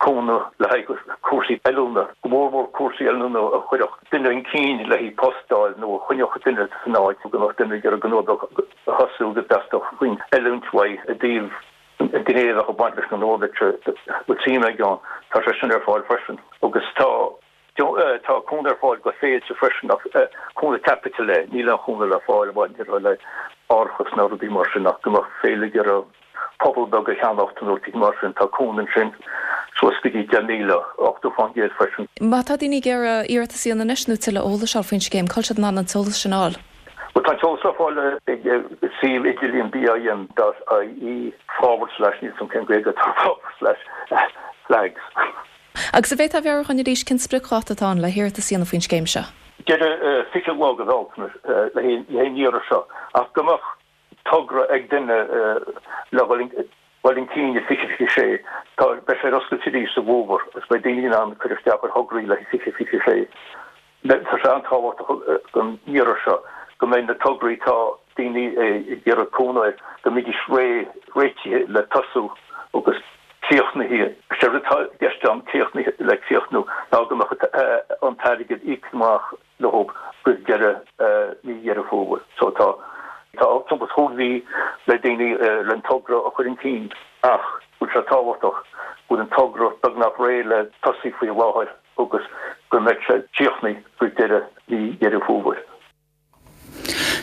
cúnamh le haghaidh cúrsaí oiliúna, go mór mór cúrsaí oiliúna a chuirfeadh duine chun cinn le haghaidh post a fháil nó a choinneodh duine san áit go mbeadh duine ag iarraidh gnó beag a thosú go dteastódh roinnt oiliúint uaidh i dtaobh an ghné a bheadh ag baint leis an ngnó a bhfuil suim aige ann. Tá sé sin ar fáil freisin. Agus tá. Tá cúnamh ar fáil go féilte freisin ach cúnamh caipitil é, níl aon chúnamh le fáil maidir le árachas ná rudaí mar sin ach go mbeadh féile ag iarraidh puball beag a cheannacht nó rudaí mar sin, tá cúnamh ansin suas go dtí deich míle, ochtó fán gcéad freisin. Má tá daoine ag iarraidh iarratas a dhéanamh anois nó tuilleadh eolais a fháil faoin scéim, cá bhfuil siad in ann an t-eolas sin a fháil? Bhuel, tá an t-eolas le fáil ag suíomh idirlíon BIM dot ie forward slash, níl 'fhios a'm cén Gaeilge atá ar forward slash, flags. Agus an bhféadfá a mheabhrú dhúinn arís cén spriocdháta atá ann le hiarratas a dhéanamh faoin scéim seo? Deireadh fiche lá de Bhealtaine le haghaidh an iarraidh seo ach go mbeadh togra ag duine le dhul chun cinn i fiche fiche sé, tá, beidh sé ar oscailt arís sa bhfómhar agus beidh daoine in ann cur isteach ar thograí le haghaidh fiche fiche sé. Tá sé an-tábhachtach don iarraidh seo go mbeidh na tograí atá daoine ag iarraidh cúnamh air, go mbeidís réidh, réitithe le tosú agus críochnaithe. Is é rud atá i gceist ann críochnaithe le críochnú ná go mbeadh an t-airgead íoctha amach leo roimh deireadh mí Dheireadh Fómhair. So tá tá timpeall chúig mhí le daoine le an togra a chur chun cinn ach bhfuil sé tábhachtach go bhfuil an togra beagnach réidh le tosaí faoi láthair. agus go mbeidh sé críochnaithe roimh deireadh mhí Dheireadh Fómhair.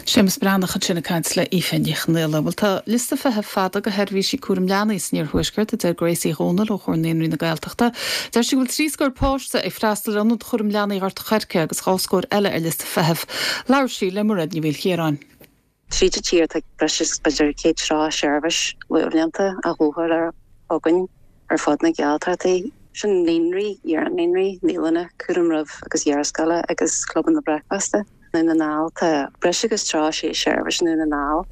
Séamus Breathnach ansin ag caint le Aoife Ní Chonghaile. Bhuel tá liosta feithimh fada go sheirbhísí cúram leanaí san iarthuaisceart a deir Grace Uí Dhomhnaill ó Chomhar Naíonraí na Gaeltachta. Deir sí go bhfuil trí scór páiste ag freastal ar ionad chúram leanaí Ghort an Choirce agus dhá scór eile ar liosta feithimh. Labhair sí le Mairéad Ní Mhaoilchiaráin. Tríd an tír tá breis is b'fhéidir céad tríocha seirbhís luathbhlianta á sholáthar againn ar fud na Gaeltachtaí. Sin naíonraí, iar-naíonraí, naíolanna, cúram roimh agus iarscoile agus clubanna bricfeasta. Dún na nGall tá breis agus tríocha sé seirbhís i nDún na nGall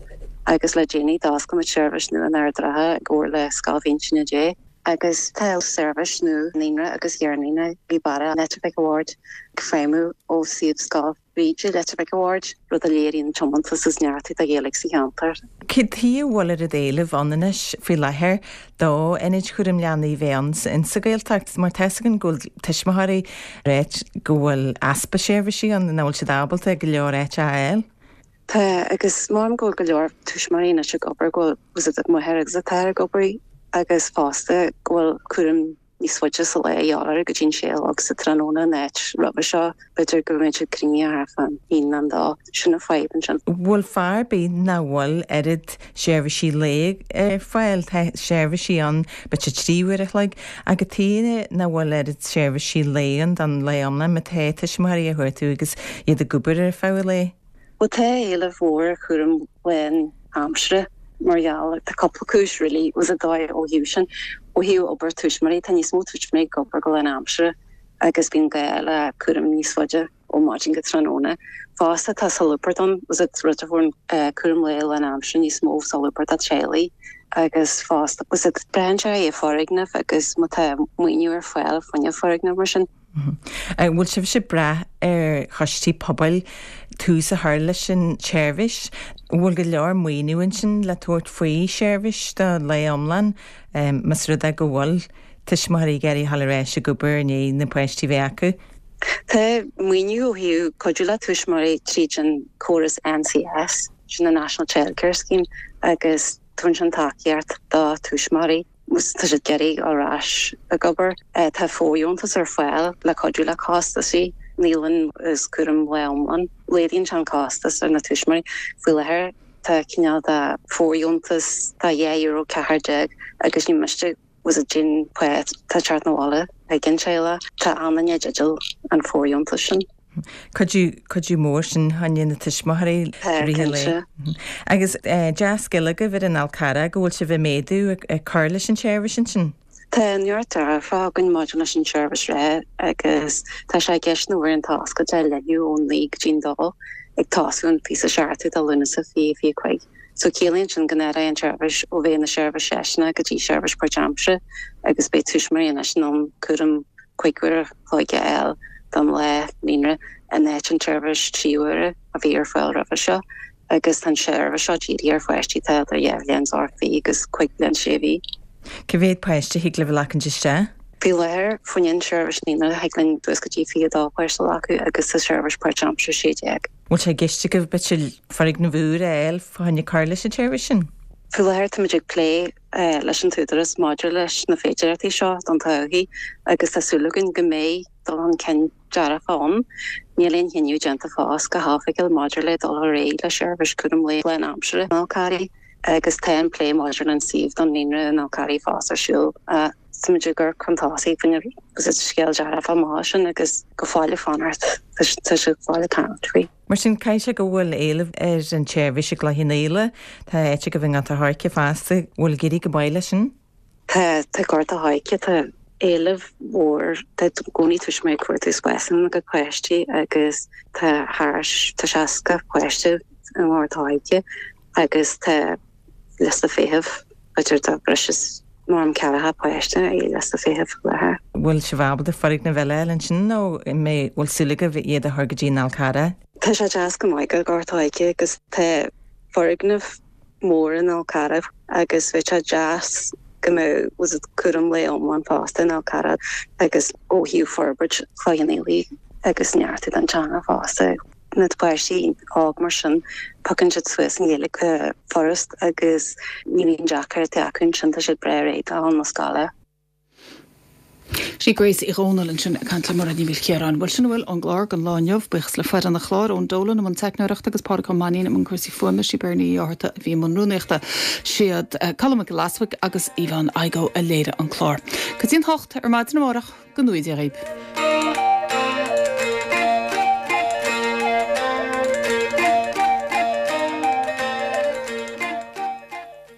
agus le déanaí d'oscail muid seirbhís nua in Ard an Rátha i gcomhar le Scoil Mhínse Dé. Agus tá seirbhís nua naíonra agus iar-naíonra i Barra Leitir Mhic a' Bhaird ag feidhmiú ó suíomh Scoil Bhríde Leitir Mhic a' Bhaird, rud a léiríonn tiomantas is neartú do Ghaeilge sa cheantar. Cad chuige a bhfuil oiread éilimh ann anois faoi láthair do ionaid chúram leanaí a bheith ann insa Ghaeltacht mar tá 'fhios againn go bhfuil tuismitheoirí ag ráit go bhfuil easpa seirbhísí ann nach bhfuil siad ábalta go leor áit a fháil. Tá, agus maram go bhfuil go leor tuismitheoirí anois ag obair go bhfuil an máthair agus an t-athair ag obair agus fosta go bhfuil cúram níos faide sa lá a dhíobháil go dtí an sé a chlog sa tráthnóna in áit roimhe seo b'fhéidir go mbeidh siad cruinnithe thart fán haon nó dó sin an fadhb ansin. Bhfuil fáth ar bith nach bhfuil oiread seirbhísí lae ar fáil tá seirbhísí ann b'fhéidir trí uair a chloig ach cad chuige nach bhfuil oiread seirbhísí lae ann don lá iomlán má tá tuismitheoirí á chuartú agus iad ag obair ar feadh an lae. Well tá éileamh mhór ar chúram lánaimseartha mar gheall tá cúpla cúis really was a dóigh ó thaobh sin ó thaobh obair tuismitheoirí tá níos mó tuismitheoirí ag obair go lánaimseartha agus bíonn gá le cúram níos faide ó maidin go tráthnóna. Fosta tá solúbthacht ann was it rud a bhfuil cúram lae lánaimseartha níos mó solúbthacht do teaghlaigh agus fosta was it braitheann sé ar foirgneamh agus má tá maoiniú ar fáil fá choinne foirgneamh mar sin. An bhfuil sibhse ag brath ar choistí pobail tús a chur leis an tseirbhís? An bhfuil go leor maoiniú ansin le tabhairt faoi sheirbhís do lae iomlán más rud é go bhfuil tuismitheoirí ag iarraidh dul ar ais ag obair i ndiaidh na páistí bheith acu? Tá maoiniú ó thaobh cuidiú le tuismitheoirí tríd an córas NCS, sin an National Childcare Scheme, agus tugann sin tacaíocht do tuismitheoirí. Tá siad ag iarraidh ar ais ag obair. Tá fóirdheontas ar fáil le cuidiú le costaisí naíolann is cúram lae iomlán. Laghdaíonn sé an costas ar na tuismitheoirí. Faoi láthair tá cineál de fóirdheontas de dhá euro ceathair déag agus ní miste was it cén pá atá ag teacht 'na bhaile ag an teaghlach. Tá an-duine i dteideal an fóirdheontas sin. Cuidiú cuidiú mór sin fá choinne na tuismitheoirí Tá, i rith an lae. cinnte. Agus dea-scéal agaibh ar an Fhál Carrach go bhfuil sibh ag méadú ag cur leis an tseirbhís ansin. Tá neart dearfa againn maidir leis an tseirbhís reatha agus tá sé i gceist na uaireanta oscailte a leathnú ón naoi go dtí an dó ag tosú an fiche seachtú de Lúnasa fiche fiche cúig. So ciallaíonn sin go n-athróidh an tseirbhís ó bheith ina seirbhís seisiúnach go dtí seirbhís páirtaimseartha agus beidh tuismitheoirí anois in ann cúram cúig uair a chloig a fháil don lá naíonra in áit an tseirbhís trí huaire a bhí ar fáil roimhe seo agus tá an tseirbhís seo dírithe ar pháistí atá idir dhá bhliain is ocht mhí agus cúig bliana sé mhí. Cá mhéad páiste a thig libh a ghlacaint isteach? Faoi láthair, fá choinne an tseirbhís naíonra thig linn suas go dtí fiche dó páiste a ghlacadh agus sa tseirbhís páirtaimseartha sé déag. Bhfuil sé i gceist agaibh b'fhéidir foirgneamh úr a fháil fá choinne cur leis an tseirbhís sin? Faoi láthair táimid ag plé leis an t-údarás maidir leis na féidearthachtaí seo don todhchaí agus tá súil againn go mbeidh dul chun cinn dearfach ann. Níl aon chinneadh déanta fós go hoifigiúil maidir le dul ar aghaidh le seirbhís cúram lae lánaimseartha in Fhál Carraigh agus tá an plé maidir leis an suíomh don naíonra in Fhál Carraigh fós ar siúl. Táimid ag amharc chun tosaigh faoin agus is scéal dearfach maith sin agus go fóill ag fanacht tá sé go fóill ag caint faoi. Mar sin caithfidh sé go bhfuil éileamh ar an tseirbhís i gCloich Cheann Fhaola, tá áit agaibh i nGort a' Choirce fosta, bhfuil ag éirí go maith leis sin? Tá tá Gort a' Choirce tá éileamh mhór tá i gcónaí tuismitheoirí ag cuartú spásanna do pháistí agus tá thar tá seasca páiste i nGort a' Choirce agus tá liosta feithimh b'fhéidir tá breis is mar ceathracha páiste i liosta feithimh faoi láthair. Bhfuil sibh ábalta foirgneamh eile a fháil ansin nó mé bhfuil súil agaibh iad a chur go dtí an Fhál Carrach? Tá sé deas go maith go Gort a' Choirce agus tá foirgneamh mór in Fhál Carrach agus bheadh sé deas go mbeadh was it cúram lae iomlán fosta in Fhál Carrach agus ó thaobh forbairt Chloich Cheann Fhaola agus neartú don teanga fosta. Na páistí óg mar sin piocann siad suas an Ghaeilge go furast agus ní bhíonn deacrachtaí acu ansin tá siad breá réidh do na scoile. Sí Grace Uí Dhomhnaill ansin ag caint le Mairéad Ní Mhaoilchiaráin. Bhuel sin a bhfuil ón gclár don lá inniu, buíochas le foireann an chláir Eoin Dolan i mbun teicneoireachta agus Pádraig Ó Mainnín i mbun cúrsaí fuaime, sí Bernie Uí Fhátharta a bhí i mbun rúnaíochta. Siad Colm Mac Giolla Easbuig agus Yvonne Igoe a léirigh an clár. Go dtí an hocht ar maidin amárach, go ngnóthaí Dia dhaoibh.